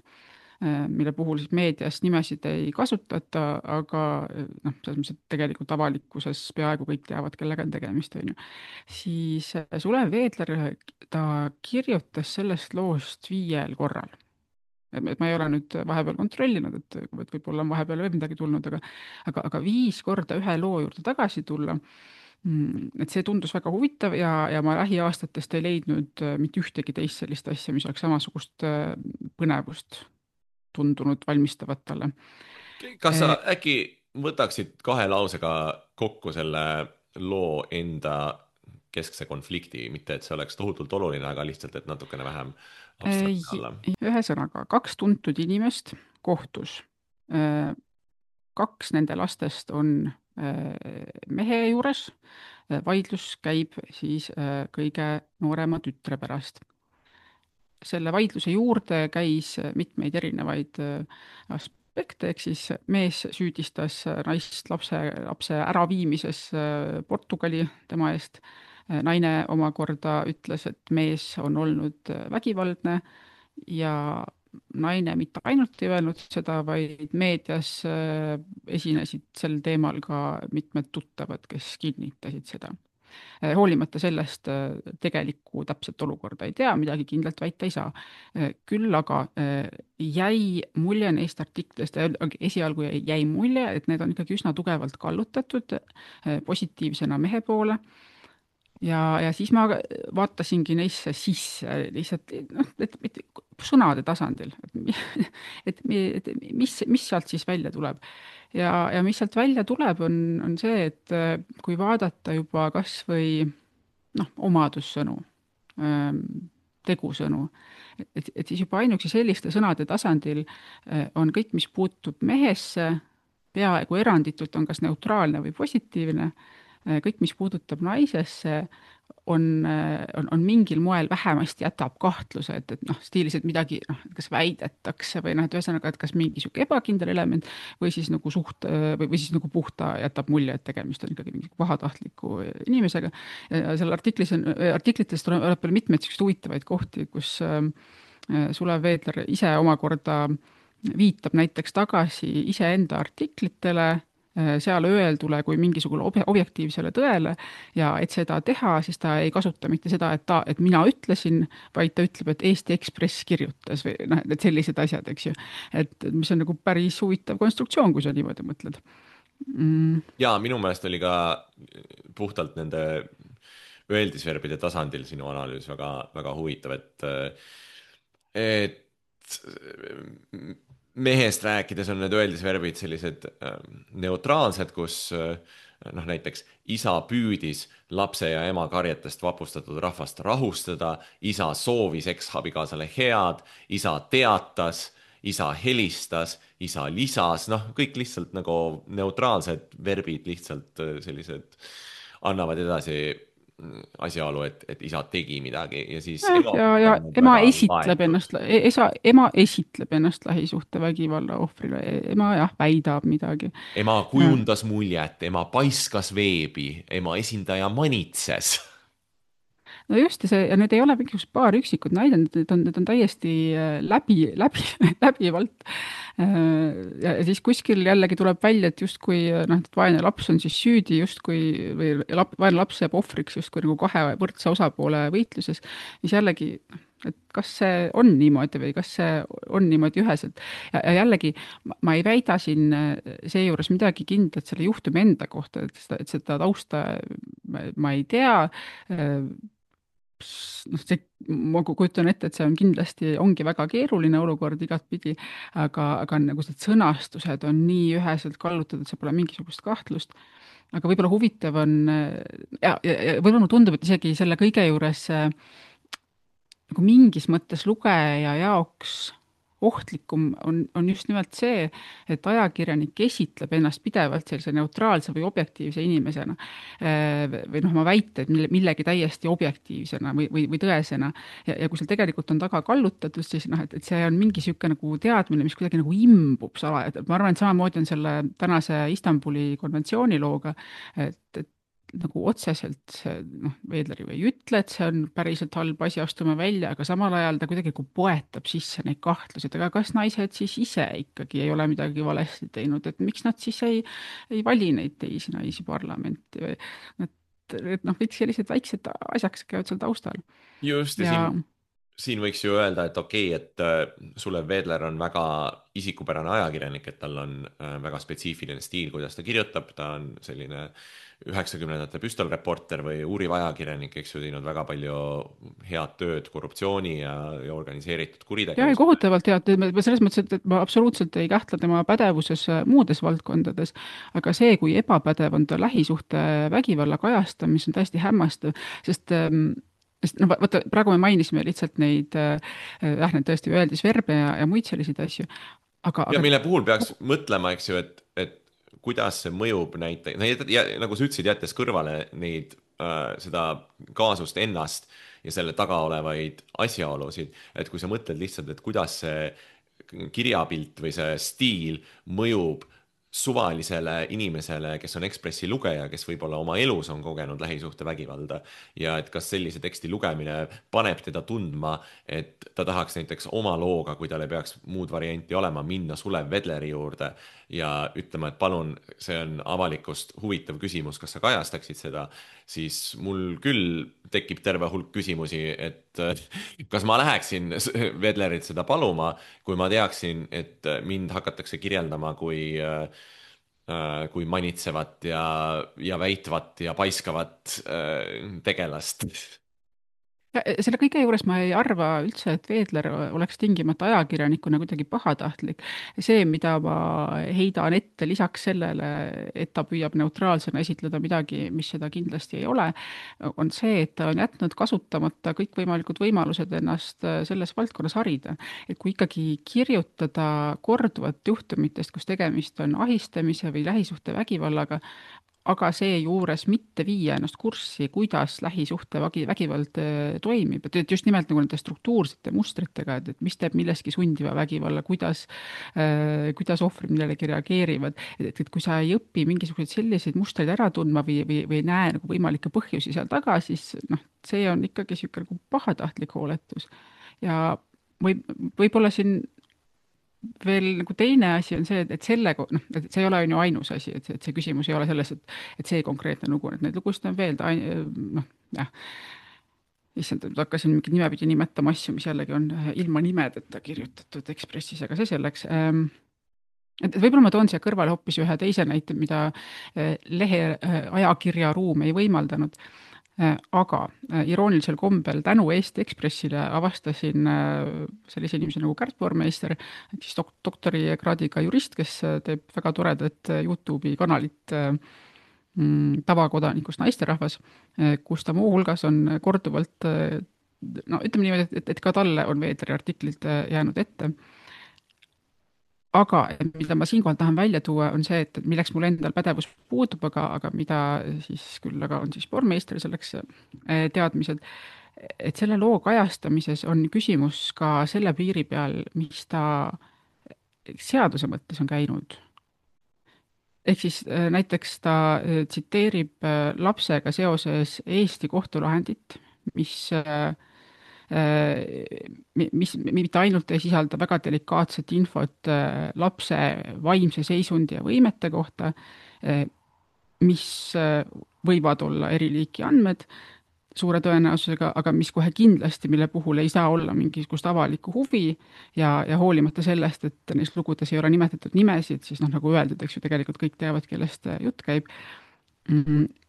D: mille puhul siis meedias nimesid ei kasutata, aga noh, selles mõttes, et tegelikult avalikkuses peaaegu kõik teavad, kellega on tegemist, on ju. Siis Sulev Vedler, ta kirjutas sellest loost viiel korral. Et ma ei ole nüüd vahepeal kontrollinud, et, et võib-olla on vahepeal veel midagi tulnud, aga, aga, aga viis korda ühe loo juurde tagasi tulla, et see tundus väga huvitav ja, ja ma lähiaastatest ei leidnud mitte ühtegi teist sellist asja, mis oleks samasugust põnevust tundunud valmistavat talle.
C: Kas sa äkki võtaksid kahe lausega kokku selle loo enda keskse konflikti, mitte et see oleks tohutult oluline, aga lihtsalt, et natukene vähem abstraktne olla?
D: Ühe sõnaga, kaks tuntud inimest kohtus. Kaks nende lastest on mehe juures, vaidlus käib siis kõige noorema tütre pärast. Selle vaidluse juurde käis mitmeid erinevaid aspekte, ehk siis mees süüdistas naist lapse, lapse äraviimises Portugali tema eest. Naine omakorda ütles, et mees on olnud vägivaldne ja naine mitte ainult ei öelnud seda, vaid meedias esinesid sel teemal ka mitmed tuttavad, kes kinnitasid seda. Eh, hoolimata sellest eh, tegelikku täpset olukorda ei tea, midagi kindlalt väita ei saa. Eh, Küll aga eh, jäi mulje neist artiklist, esialgu jäi, jäi mulje, et need on ikkagi üsna tugevalt kallutatud eh, positiivsena mehe poole. Ja, ja siis ma vaatasingi neisse sisse lihtsalt, noh, et, et sõnade tasandil, et, et, et mis, mis sealt siis välja tuleb. Ja, ja mis sealt välja tuleb, on, on see, et kui vaadata juba kas või noh, omadussõnu, tegusõnu, et, et siis juba ainuüksi selliste sõnade tasandil on kõik, mis puutub mehesse, peaaegu eranditult on kas neutraalne või positiivne, kõik, mis puudutab naisesse, on, on, on mingil moel vähemasti jätab kahtluse, et, et noh, stiilis, et midagi, noh, kas väidetakse või noh, et ühesõnaga, et kas mingi sihuke ebakindel element või siis nagu suht või, või siis nagu puhta jätab mulje, et tegemist on ikkagi mingi pahatahtliku inimesega. Ja seal artiklis on, artiklitest tuleb veel mitmeid selliseid huvitavaid kohti, kus Sulev Veedler ise omakorda viitab näiteks tagasi iseenda artiklitele, seal öeldule kui mingisugune objektiivsele tõele ja et seda teha, siis ta ei kasuta mitte seda, et, ta, et mina ütlesin, vaid ta ütleb, et Eesti Ekspress kirjutas või noh, et sellised asjad, eks ju. Et mis on nagu päris huvitav konstruktsioon, kui sa niimoodi mõtled. Mm.
C: Ja minu meelest oli ka puhtalt nende öeldisverbide tasandil sinu analüüs väga, väga huvitav, et, et mehest rääkides on need öeldisverbid sellised neutraalsed, kus noh, näiteks isa püüdis lapse ja ema karjetest vapustatud rahvast rahustada, isa soovis eksabikaasale head, isa teatas, isa helistas, isa lisas, noh, kõik lihtsalt nagu neutraalsed verbid lihtsalt sellised annavad edasi asjaolu, et, et isa tegi midagi ja siis
D: ja, ema, ja, ja ema esitleb ennast, esa, ema esitleb ennast lähisuhte vägivalla ohvrile, ema jah, väidab midagi.
C: Ema kujundas ja. muljet, ema paiskas veebi, ema esindaja manitses.
D: No just, see, ja need ei ole mingisugused paar üksikud näidend, need on, need on täiesti läbi, läbi, läbivalt. Ja siis kuskil jällegi tuleb välja, et justkui noh, et vaene laps on siis süüdi justkui või lap, vaene laps jääb ohvriks justkui nagu kahe võrdse osapoole võitluses, mis jällegi, et kas see on niimoodi või kas see on niimoodi üheselt. Ja, ja jällegi ma ei väida siin seejuures midagi kindlat selle juhtumi enda kohta, et seda, et seda tausta ma, ma ei tea, noh, see, ma kujutan ette, et see on kindlasti, ongi väga keeruline olukord igatpidi, aga, aga nagu need sõnastused on nii üheselt kallutatud, et see pole mingisugust kahtlust. Aga võib-olla huvitav on, ja, ja, ja võib-olla mulle tundub, et isegi selle kõige juures nagu mingis mõttes lugeja jaoks ohtlikum on, on just nimelt see, et ajakirjanik esitleb ennast pidevalt sellise neutraalse või objektiivse inimesena või noh, ma väited millegi täiesti objektiivsena või, või, või tõesena ja, ja kui seal tegelikult on taga kallutatud, siis noh, et, et see on mingi sihuke nagu teadmine, mis kuidagi nagu imbub sala, et ma arvan, et samamoodi on selle tänase Istanbuli konventsiooni looga, et, et nagu otseselt see, noh, Veedler ju ei ütle, et see on päriselt halb asi, astume välja, aga samal ajal ta kuidagi poetab sisse neid kahtlusi, et aga kas naised siis ise ikkagi ei ole midagi valesti teinud, et miks nad siis ei, ei vali neid teisi naisi parlamenti või et, et noh, kõik sellised väiksed asjaks käivad seal taustal.
C: Just, ja, ja siin, siin võiks ju öelda, et okei, okay, et Sulev Veedler on väga isikupärane ajakirjanik, et tal on väga spetsiifiline stiil, kuidas ta kirjutab, ta on selline üheksakümnendate püstolreporter või uuriv ajakirjanik, eks ju, teinud väga palju head tööd korruptsiooni ja, ja organiseeritud kuritegevust. Ja, kohutavalt head, selles mõttes, et ma absoluutselt ei kähtle tema pädevuses muudes valdkondades, aga see, kui ebapädev on ta lähisuhte vägivalla kajastamis, on täiesti hämmastav, sest sest no vaata, praegu me mainisime lihtsalt neid, jah, need tõesti öeldisverbe ja, ja muid selliseid asju. Aga, ja
D: aga...
C: mille puhul peaks mõtlema, eks ju, et, et kuidas see mõjub näiteks, nagu sa ütlesid, jättes kõrvale neid, äh, seda kaasust ennast ja selle taga olevaid asjaolusid, et kui sa mõtled lihtsalt, et kuidas see kirjapilt või see stiil mõjub suvalisele inimesele, kes on Ekspressi lugeja, kes võib-olla oma elus on kogenud lähisuhtevägivalda ja et kas sellise teksti lugemine paneb teda tundma, et ta tahaks näiteks oma looga, kui tal ei peaks muud varianti olema, minna Sulev Vedleri juurde ja ütlema, et palun, see on avalikust huvitav küsimus, kas sa kajastaksid seda, siis mul küll tekib terve hulk küsimusi, et kas ma läheksin Vedlerit seda paluma, kui ma teaksin, et mind hakatakse kirjeldama kui kui manitsevat ja, ja väitvat ja paiskavat tegelast.
D: Selle kõige juures ma ei arva üldse, et Veedler oleks tingimata ajakirjanikuna kuidagi pahatahtlik. See, mida ma heidan ette lisaks sellele, et ta püüab neutraalsena esitleda midagi, mis seda kindlasti ei ole, on see, et ta on jätnud kasutamata kõikvõimalikud võimalused ennast selles valdkonnas harida. Et kui ikkagi kirjutada korduvat juhtumitest, kus tegemist on ahistamise või lähisuhte vägivallaga, aga seejuures mitte viia ennast kurssi, kuidas lähisuhte vägivald toimib, et just nimelt nagu nende struktuursete mustritega, et, et mis teeb milleski sundiva vägivalla, kuidas, äh, kuidas ohvrid millelegi reageerivad, et, et kui sa ei õpi mingisuguseid selliseid mustreid ära tundma või, või, või ei näe nagu võimalikke põhjusi seal taga, siis noh, see on ikkagi siuke nagu pahatahtlik hooletus. Ja või, võib-olla siin veel nagu teine asi on see, et selle, noh, et see ei ole ju ainus asi, et see, et see küsimus ei ole selles, et, et see konkreetne lugu, et neid lugusid on veel, ta, noh, jah, issand, hakkasin mingi nimepidi nimetama asju, mis jällegi on ilma nimedeta kirjutatud Ekspressis, aga see selleks. Et võib-olla ma toon siia kõrvale hoopis ühe teise näite, mida lehe ajakirja ruum ei võimaldanud. Aga iroonilisel kombel tänu Eesti Ekspressile avastasin sellise inimese nagu Kärt Vormeister, et siis dok- doktorikraadiga jurist, kes teeb väga toredat YouTube'i kanalit mm, tavakodanikust naisterahvas, kus ta muu hulgas on korduvalt, no ütleme niimoodi, et, et ka talle on Veedleri artiklid jäänud ette. Aga mida ma siinkohal tahan välja tuua, on see, et milleks mul endal pädevus puudub, aga, aga mida siis küll, aga on siis Vormeister selleks teadmised, et selle loo kajastamises on küsimus ka selle piiri peal, mis ta seaduse mõttes on käinud. Ehk siis näiteks ta tsiteerib lapsega seoses Eesti kohtulahendit, mis mis mitte ainult ei sisalda väga delikaatset infot lapse vaimse seisundi ja võimete kohta, mis võivad olla eri liiki andmed suure tõenäosusega, aga mis kohe kindlasti, mille puhul ei saa olla mingisugust avalikku huvi ja, ja hoolimata sellest, et neis lugudes ei ole nimetatud nimesid, siis noh, nagu öeldud, eks ju, tegelikult kõik teavad, kellest jutt käib.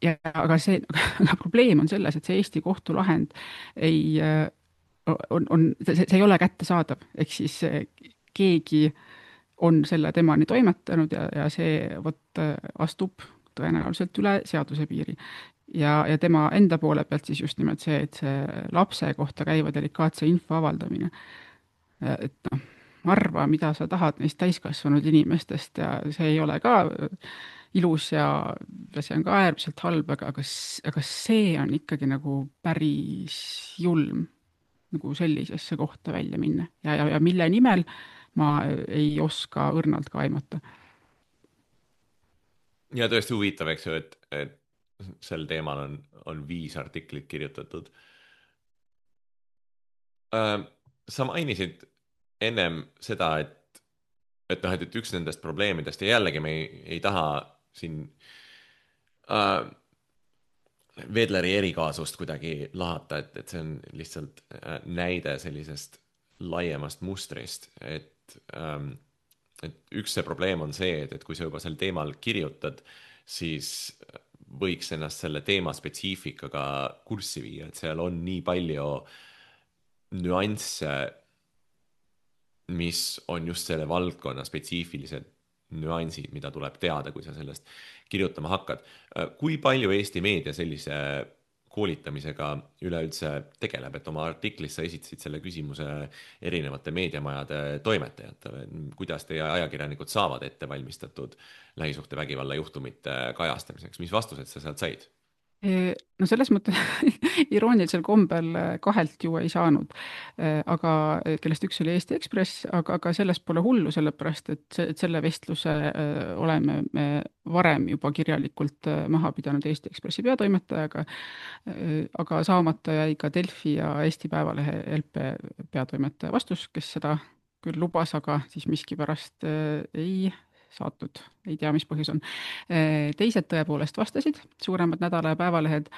D: Ja, aga see aga probleem on selles, et see Eesti kohtulahend ei on, on, see, see ei ole kättesaadav, ehk siis keegi on selle temani toimetanud ja, ja see võt astub tõenäoliselt üle seaduse piiri. Ja, ja tema enda poole pealt siis just nimelt see, et see lapse kohta käiva delikaatse info avaldamine. Et noh, arva, mida sa tahad neist täiskasvanud inimestest ja see ei ole ka ilus ja, ja see on ka äärmiselt halb, aga, aga, aga see on ikkagi nagu päris julm nagu sellisesse kohta välja minna ja, ja, ja mille nimel ma ei oska õrnalt ka aimata.
C: Ja tõesti huvitav, eks ju, et, et sel teemal on, on viis artiklit kirjutatud. Äh, sa mainisid ennem seda, et, et, noh, et üks nendest probleemidest ja jällegi me ei, ei taha siin äh, Vedleri erikaasust kuidagi lahata, et, et see on lihtsalt näide sellisest laiemast mustrist, et, ähm, et üks see probleem on see, et, et kui sa juba sel teemal kirjutad, siis võiks ennast selle teema spetsiifikaga kurssi viia, et seal on nii palju nüansse, mis on just selle valdkonna spetsiifilised nüansid, mida tuleb teada, kui sa sellest kirjutama hakkad. Kui palju Eesti meedia sellise koolitamisega üleüldse tegeleb, et oma artiklis sa esitasid selle küsimuse erinevate meediamajade toimetajatele, kuidas teie ajakirjanikud saavad ette valmistatud lähisuhtevägivalla juhtumite kajastamiseks, mis vastused sa sealt said?
D: No selles mõttes iroonilisel kombel kahelt ju ei saanud, aga kellest üks oli Eesti Ekspress, aga, aga sellest pole hullu, sellepärast et, see, et selle vestluse oleme me varem juba kirjalikult maha pidanud Eesti Ekspressi peatoimetajaga, aga saamata jäi ka Delfi ja Eesti Päevalehe L P peatoimetaja vastus, kes seda küll lubas, aga siis miskipärast ei saatnud, ei tea, mis põhjus on. Teised tõepoolest vastasid, suuremad nädala ja päevalehed.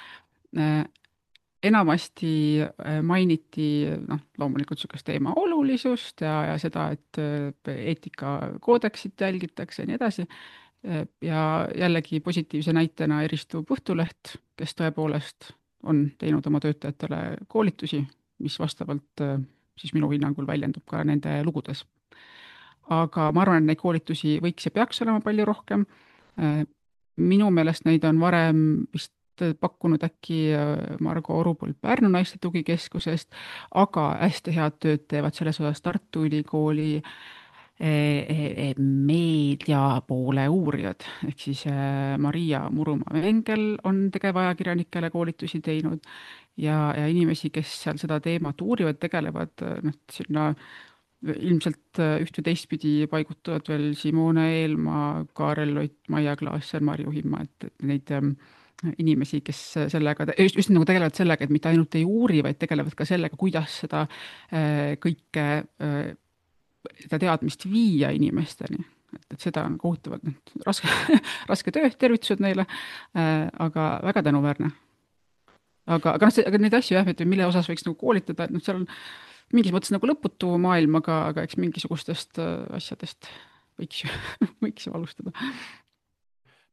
D: Enamasti mainiti noh, loomulikult niisugust teema olulisust ja, ja seda, et eetikakoodeksit jälgitakse ja nii edasi. Ja jällegi positiivse näitena eristub Õhtuleht, kes tõepoolest on teinud oma töötajatele koolitusi, mis vastavalt siis minu hinnangul väljendub ka nende lugudes. Aga ma arvan, et neid koolitusi võiks ja peaks olema palju rohkem. Minu meelest neid on varem vist pakkunud äkki Margo Orupõld Pärnu naiste tugikeskusest, aga hästi head tööd teevad selles osas Tartu Ülikooli meediapoole uurijad, ehk siis Maria Murumaa-Vengel on tegevajakirjanikele koolitusi teinud ja, ja inimesi, kes seal seda teemat uurivad, tegelevad noh, sinna ilmselt üht või teistpidi paigutuvad veel Simone Eelmaa, Kaarel Loit, Maia Klaasser, Marju Himma, et neid inimesi, kes sellega, just, just nagu tegelevad sellega, et mitte ainult ei uuri, vaid tegelevad ka sellega, kuidas seda kõike, seda teadmist viia inimesteni. Et, et seda on kohutavalt raske, raske töö, tervitused neile, aga väga tänuväärne. Aga, aga, no, aga neid asju jah, mille osas võiks nagu koolitada, et noh, seal on mingis mõttes nagu lõputu maailm, aga, aga eks mingisugustest asjadest võiks ju, võiks ju alustada.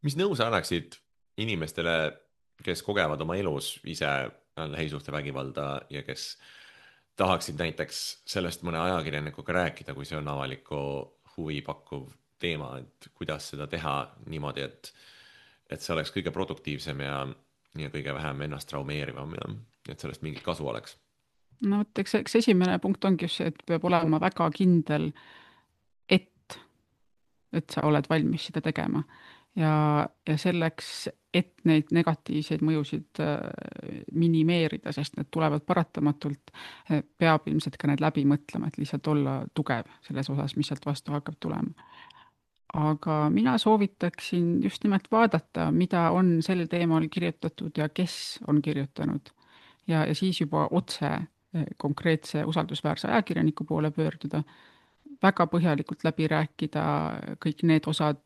C: Mis nõu sa annaksid inimestele, kes kogevad oma elus ise lähisuhtevägivalda ja kes tahaksid näiteks sellest mõne ajakirjanikuga rääkida, kui see on avaliku huvi pakkuv teema, et kuidas seda teha niimoodi, et, et see oleks kõige produktiivsem ja, ja kõige vähem ennast traumeerivam ja et sellest mingit kasu oleks?
D: No võt, eks, eks esimene punkt ongi just see, et peab olema väga kindel, et, et sa oled valmis seda tegema. Ja, ja selleks, et neid negatiivseid mõjusid minimeerida, sest need tulevad paratamatult, peab ilmselt ka need läbi mõtlema, et lihtsalt olla tugev selles osas, mis sealt vastu hakkab tulema. Aga mina soovitaksin just nimelt vaadata, mida on sel teemal kirjutatud ja kes on kirjutanud. Ja, ja siis juba otse konkreetse usaldusväärse ajakirjaniku poole pöörduda, väga põhjalikult läbi rääkida kõik need osad,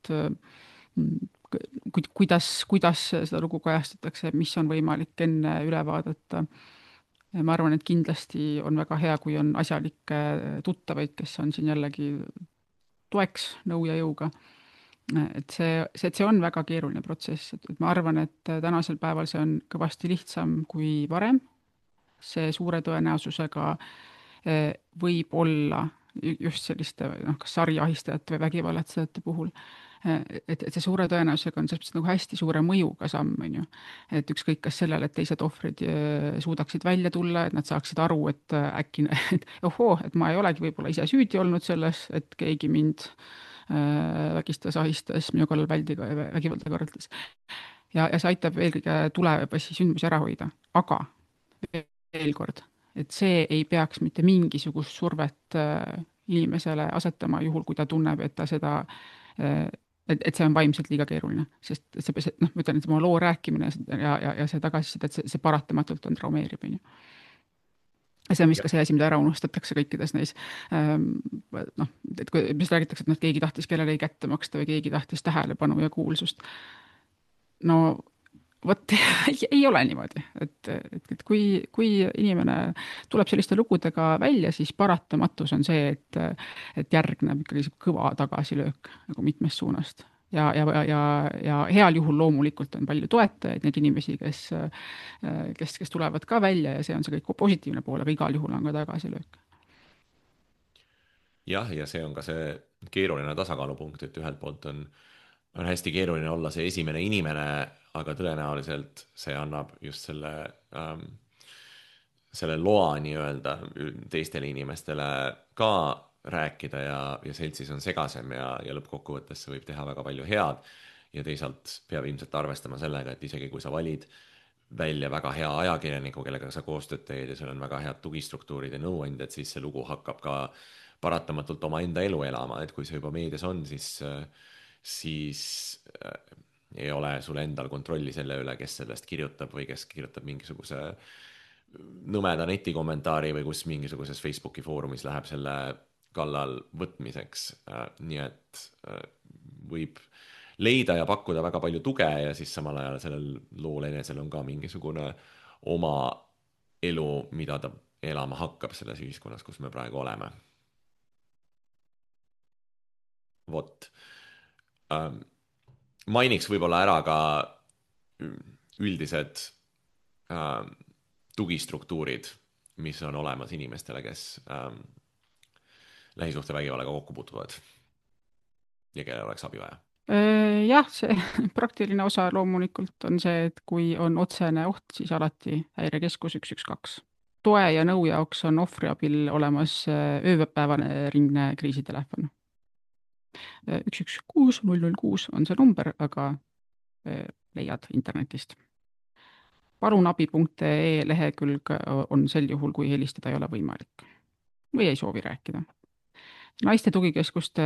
D: kuidas, kuidas seda lugu kajastatakse, mis on võimalik enne üle vaadata. Ma arvan, et kindlasti on väga hea, kui on asjalikke tuttavaid, kes on siin jällegi toeks nõu ja jõuga. Et see, see, et see on väga keeruline protsess, et ma arvan, et tänasel päeval see on kõvasti lihtsam kui varem. See suure tõenäosusega võib olla just selliste noh, kas sariahistajate või vägivallatsejate puhul, et, et see suure tõenäosusega on selles nagu hästi suure mõjuga samm, on ju. Et ükskõik kas sellele, et teised ohvrid suudaksid välja tulla, et nad saaksid aru, et äkki, et ohoo, et ma ei olegi võib-olla ise süüdi olnud selles, et keegi mind vägistas, ahistas, minu kallal väldiga ja vägivalda korraldas. Ja, ja see aitab eelkõige tulevasi sündmusi ära hoida, aga veel kord, et see ei peaks mitte mingisugust survet inimesele asetama juhul, kui ta tunneb, et ta seda, et, et see on vaimselt liiga keeruline, sest see, noh, ma ütlen, et oma loo rääkimine ja, ja, ja see tagasisida, et see, see paratamatult on traumeerib. See on vist ka see asi, mida ära unustatakse kõikides neis, noh, et kui mis räägitakse, et keegi tahtis kellelegi kätte maksta või keegi tahtis tähelepanu ja kuulsust. No vot, ei ole niimoodi, et, et, et kui, kui inimene tuleb selliste lugudega välja, siis paratamatus on see, et, et järgneb ikkagi kõva tagasilöök nagu mitmest suunast. Ja, ja, ja, ja heal juhul loomulikult on palju toetajaid, need inimesi, kes, kes, kes tulevad ka välja ja see on see kõik positiivne pool, aga igal juhul on ka tagasilöök.
C: Jah, ja see on ka see keeruline tasakaalupunkt, et ühelt poolt on, on hästi keeruline olla see esimene inimene, aga tõenäoliselt see annab just selle, ähm, selle loa nii-öelda teistele inimestele ka rääkida ja, ja seltsis on segasem ja, ja lõppkokkuvõttes see võib teha väga palju head ja teisalt peab ilmselt arvestama sellega, et isegi kui sa valid välja väga hea ajakirjaniku, kellega sa koostööd teed ja sul on väga head tugistruktuurid ja nõuandjad, siis see lugu hakkab ka paratamatult oma enda elu elama, et kui see juba meedias on, siis, siis ei ole sul endal kontrolli selle üle, kes sellest kirjutab või kes kirjutab mingisuguse nõmeda netikommentaari või kus mingisuguses Facebooki foorumis läheb selle kallal võtmiseks. Nii et võib leida ja pakkuda väga palju tuge ja siis samal ajal sellel lool enesel on ka mingisugune oma elu, mida ta elama hakkab selles ühiskonnas, kus me praegu oleme. Vot. Mainiks võib-olla ära ka üldised tugistruktuurid, mis on olemas inimestele, kes lähisuhtevägivallaga kokku puutuvad ja kellel oleks abi vaja.
D: Jah, see praktiline osa loomulikult on see, et kui on otsene oht, siis alati häirekeskus üks üks kaks. Toe ja nõu jaoks on ohvriabil olemas ööpäevane ringne kriisitelefon. üks üks kuus null null kuus on see number, aga leiad internetist. palunabi punkt ee lehekülg on sel juhul, kui helistada ei ole võimalik või ei soovi rääkida. Naiste tugikeskuste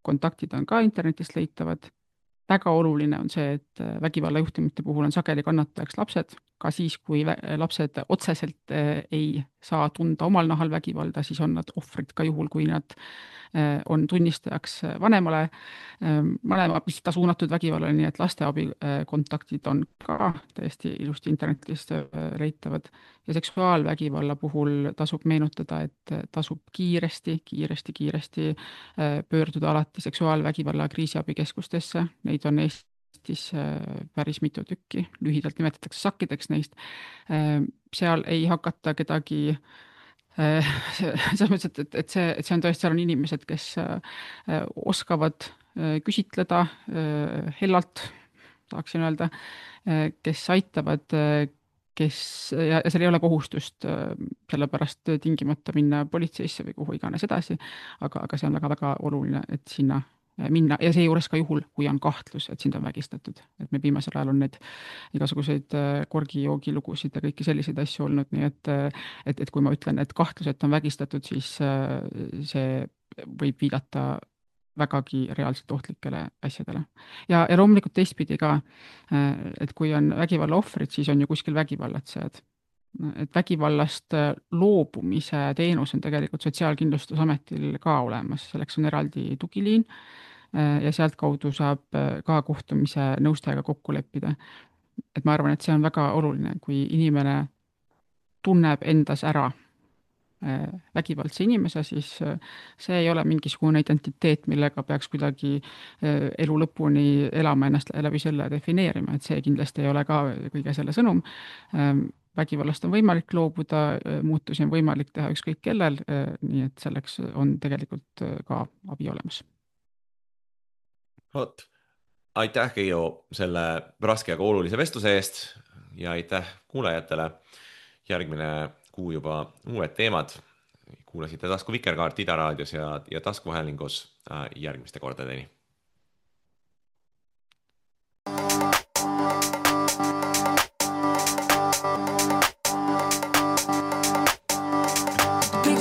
D: kontaktid on ka internetist leitavad. Väga oluline on see, et vägivallajuhtumite puhul on sageli kannatajaks lapsed, ka siis, kui lapsed otseselt ei saa tunda omal nahal vägivalda, siis on nad ohvrid ka juhul, kui nad on tunnistajaks vanemale, vanemapista suunatud vägivallale, nii et lasteabi kontaktid on ka täiesti ilusti internetist leitavad. Ja seksuaalvägivalla puhul tasub meenutada, et tasub kiiresti, kiiresti, kiiresti pöörduda alati seksuaalvägivalla kriisiabikeskustesse. Neid on Eestis päris mitu tükki, lühidalt nimetatakse sakkideks neist. Seal ei hakata kedagi selles mõttes, et, et, see, et see on tõesti, seal on inimesed, kes oskavad küsitleda hellalt, saaksin öelda, kes aitavad, kes, ja seal ei ole kohustust sellepärast tingimata minna politseisse või kuhu iganes edasi, aga, aga see on väga-väga oluline, et sinna minna ja see juures ka juhul, kui on kahtlus, et sind on vägistatud. Et me viimasel ajal on need igasuguseid korgijoogi lugusid ja kõiki selliseid asju olnud, nii et, et, et kui ma ütlen, et kahtlus, et on vägistatud, siis see võib viidata vägagi reaalselt ohtlikele asjadele. Ja, ja loomulikult teistpidi ka, et kui on vägivalla ohvrid, siis on ju kuskil vägivallatsejad. Et vägivallast loobumise teenus on tegelikult Sotsiaalkindlustusametil ka olemas, selleks on eraldi tugiliin ja sealt kaudu saab ka kohtumise nõustajaga kokku leppida. Et ma arvan, et see on väga oluline, kui inimene tunneb endas ära vägivaldse inimese, siis see ei ole mingisugune identiteet, millega peaks kuidagi elu lõpuni elama ennast läbi selle defineerima, et see kindlasti ei ole ka kõige selle sõnum. Vägivallast on võimalik loobuda, muutusi on võimalik teha ükskõik kellel, nii et selleks on tegelikult ka abi olemas.
C: Oot. Aitäh, Keijo, selle raske ja olulise vestluse eest ja aitäh kuulajatele. Järgmine kuu juba uued teemad. Kuulasite Tasku Vikerkaart Ida raadios ja, ja taskuhäälingus järgmiste kordadeni.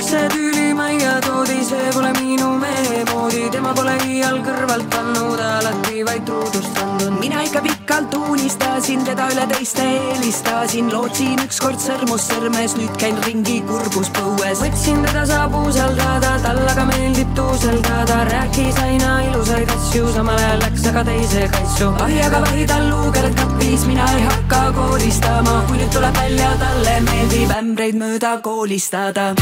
F: See tüüli maia toodi, see pole minu mehe moodi, tema pole iial kõrvalt pannud, alati vaid truudust andnud. Mina ikka pikalt unistasin, teda üle teiste eelistasin, lootsin ükskord sõrmus sõrmes, nüüd käin ringi kurbus põues. Võtsin teda saab usaldada, tal aga meeldib tuuseldada, rääkis aina ilusaid asju, samal ajal läks aga teise kaitsu. Ahi aga vahi tal luukered kapis, mina ei hakka koolistama, kui nüüd tuleb välja, talle meeldib ämbreid mööda koolistada.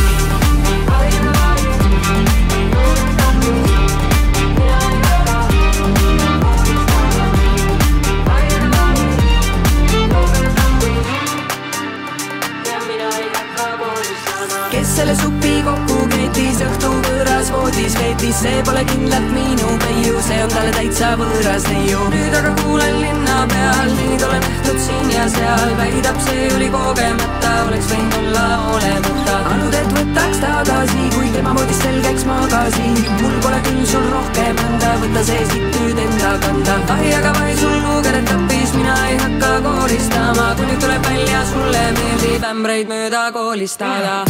F: Kes selle supi kokku keetis, õhtu võõras voodis veetis, see pole kindlalt minu peiu, see on talle täitsa võõras neiu. Nüüd aga kuulen linna peal, neid olen nähtud siin ja seal, väidab see oli kogemata, oleks võinud olla olemata. Anud, et võtaks tagasi, kui tema voodis selgeks magasin, mul pole küll sul rohkem anda, võta see siit nüüd enda kanda. Ahi aga vai sul luugered tappis, mina ei hakka kooristama, kui nüüd meeldib ämbreid mööda koolistada.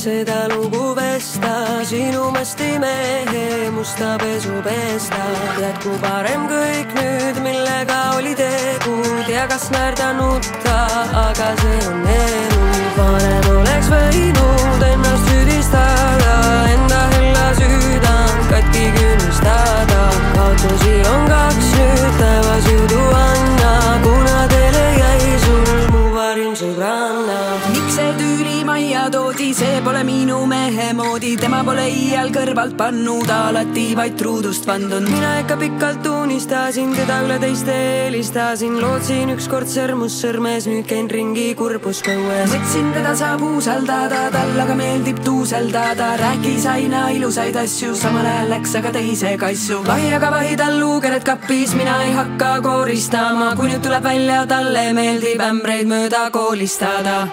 F: Seda lugu vesta, sinu masti mehe musta pesu pesta. Tead, kui parem kõik nüüd, millega oli tegu. Tea, kas naerda nutta, aga see on elu. Vanem oleks võinud ennast süüdistada, enda hella süüdand katki künnistada. Kaotusi on kaks nüüd, taevas jõudu anna, kuna teile jäi sul mu parim sõbranna. Miks see tüüli majja toodi, see pole minu mehe moodi, tema pole iial kõrvalt pannud, alati vaid truudust vandun. Mina ikka pikalt unistasin, teda üle teiste helistasin, lootsin ükskord sõrmus sõrmes, nüüd käin ringi kurbus kõues. Mõtsin, teda saab usaldada, tal aga meeldib tuuseldada, rääkis aina ilusaid asju, samal ajal läks aga teise kassu. Vahiaga vahi tal luukered kappis, mina ei hakka kooristama, kui nüüd tuleb välja, talle meeldib ämbreid mööda koolistada.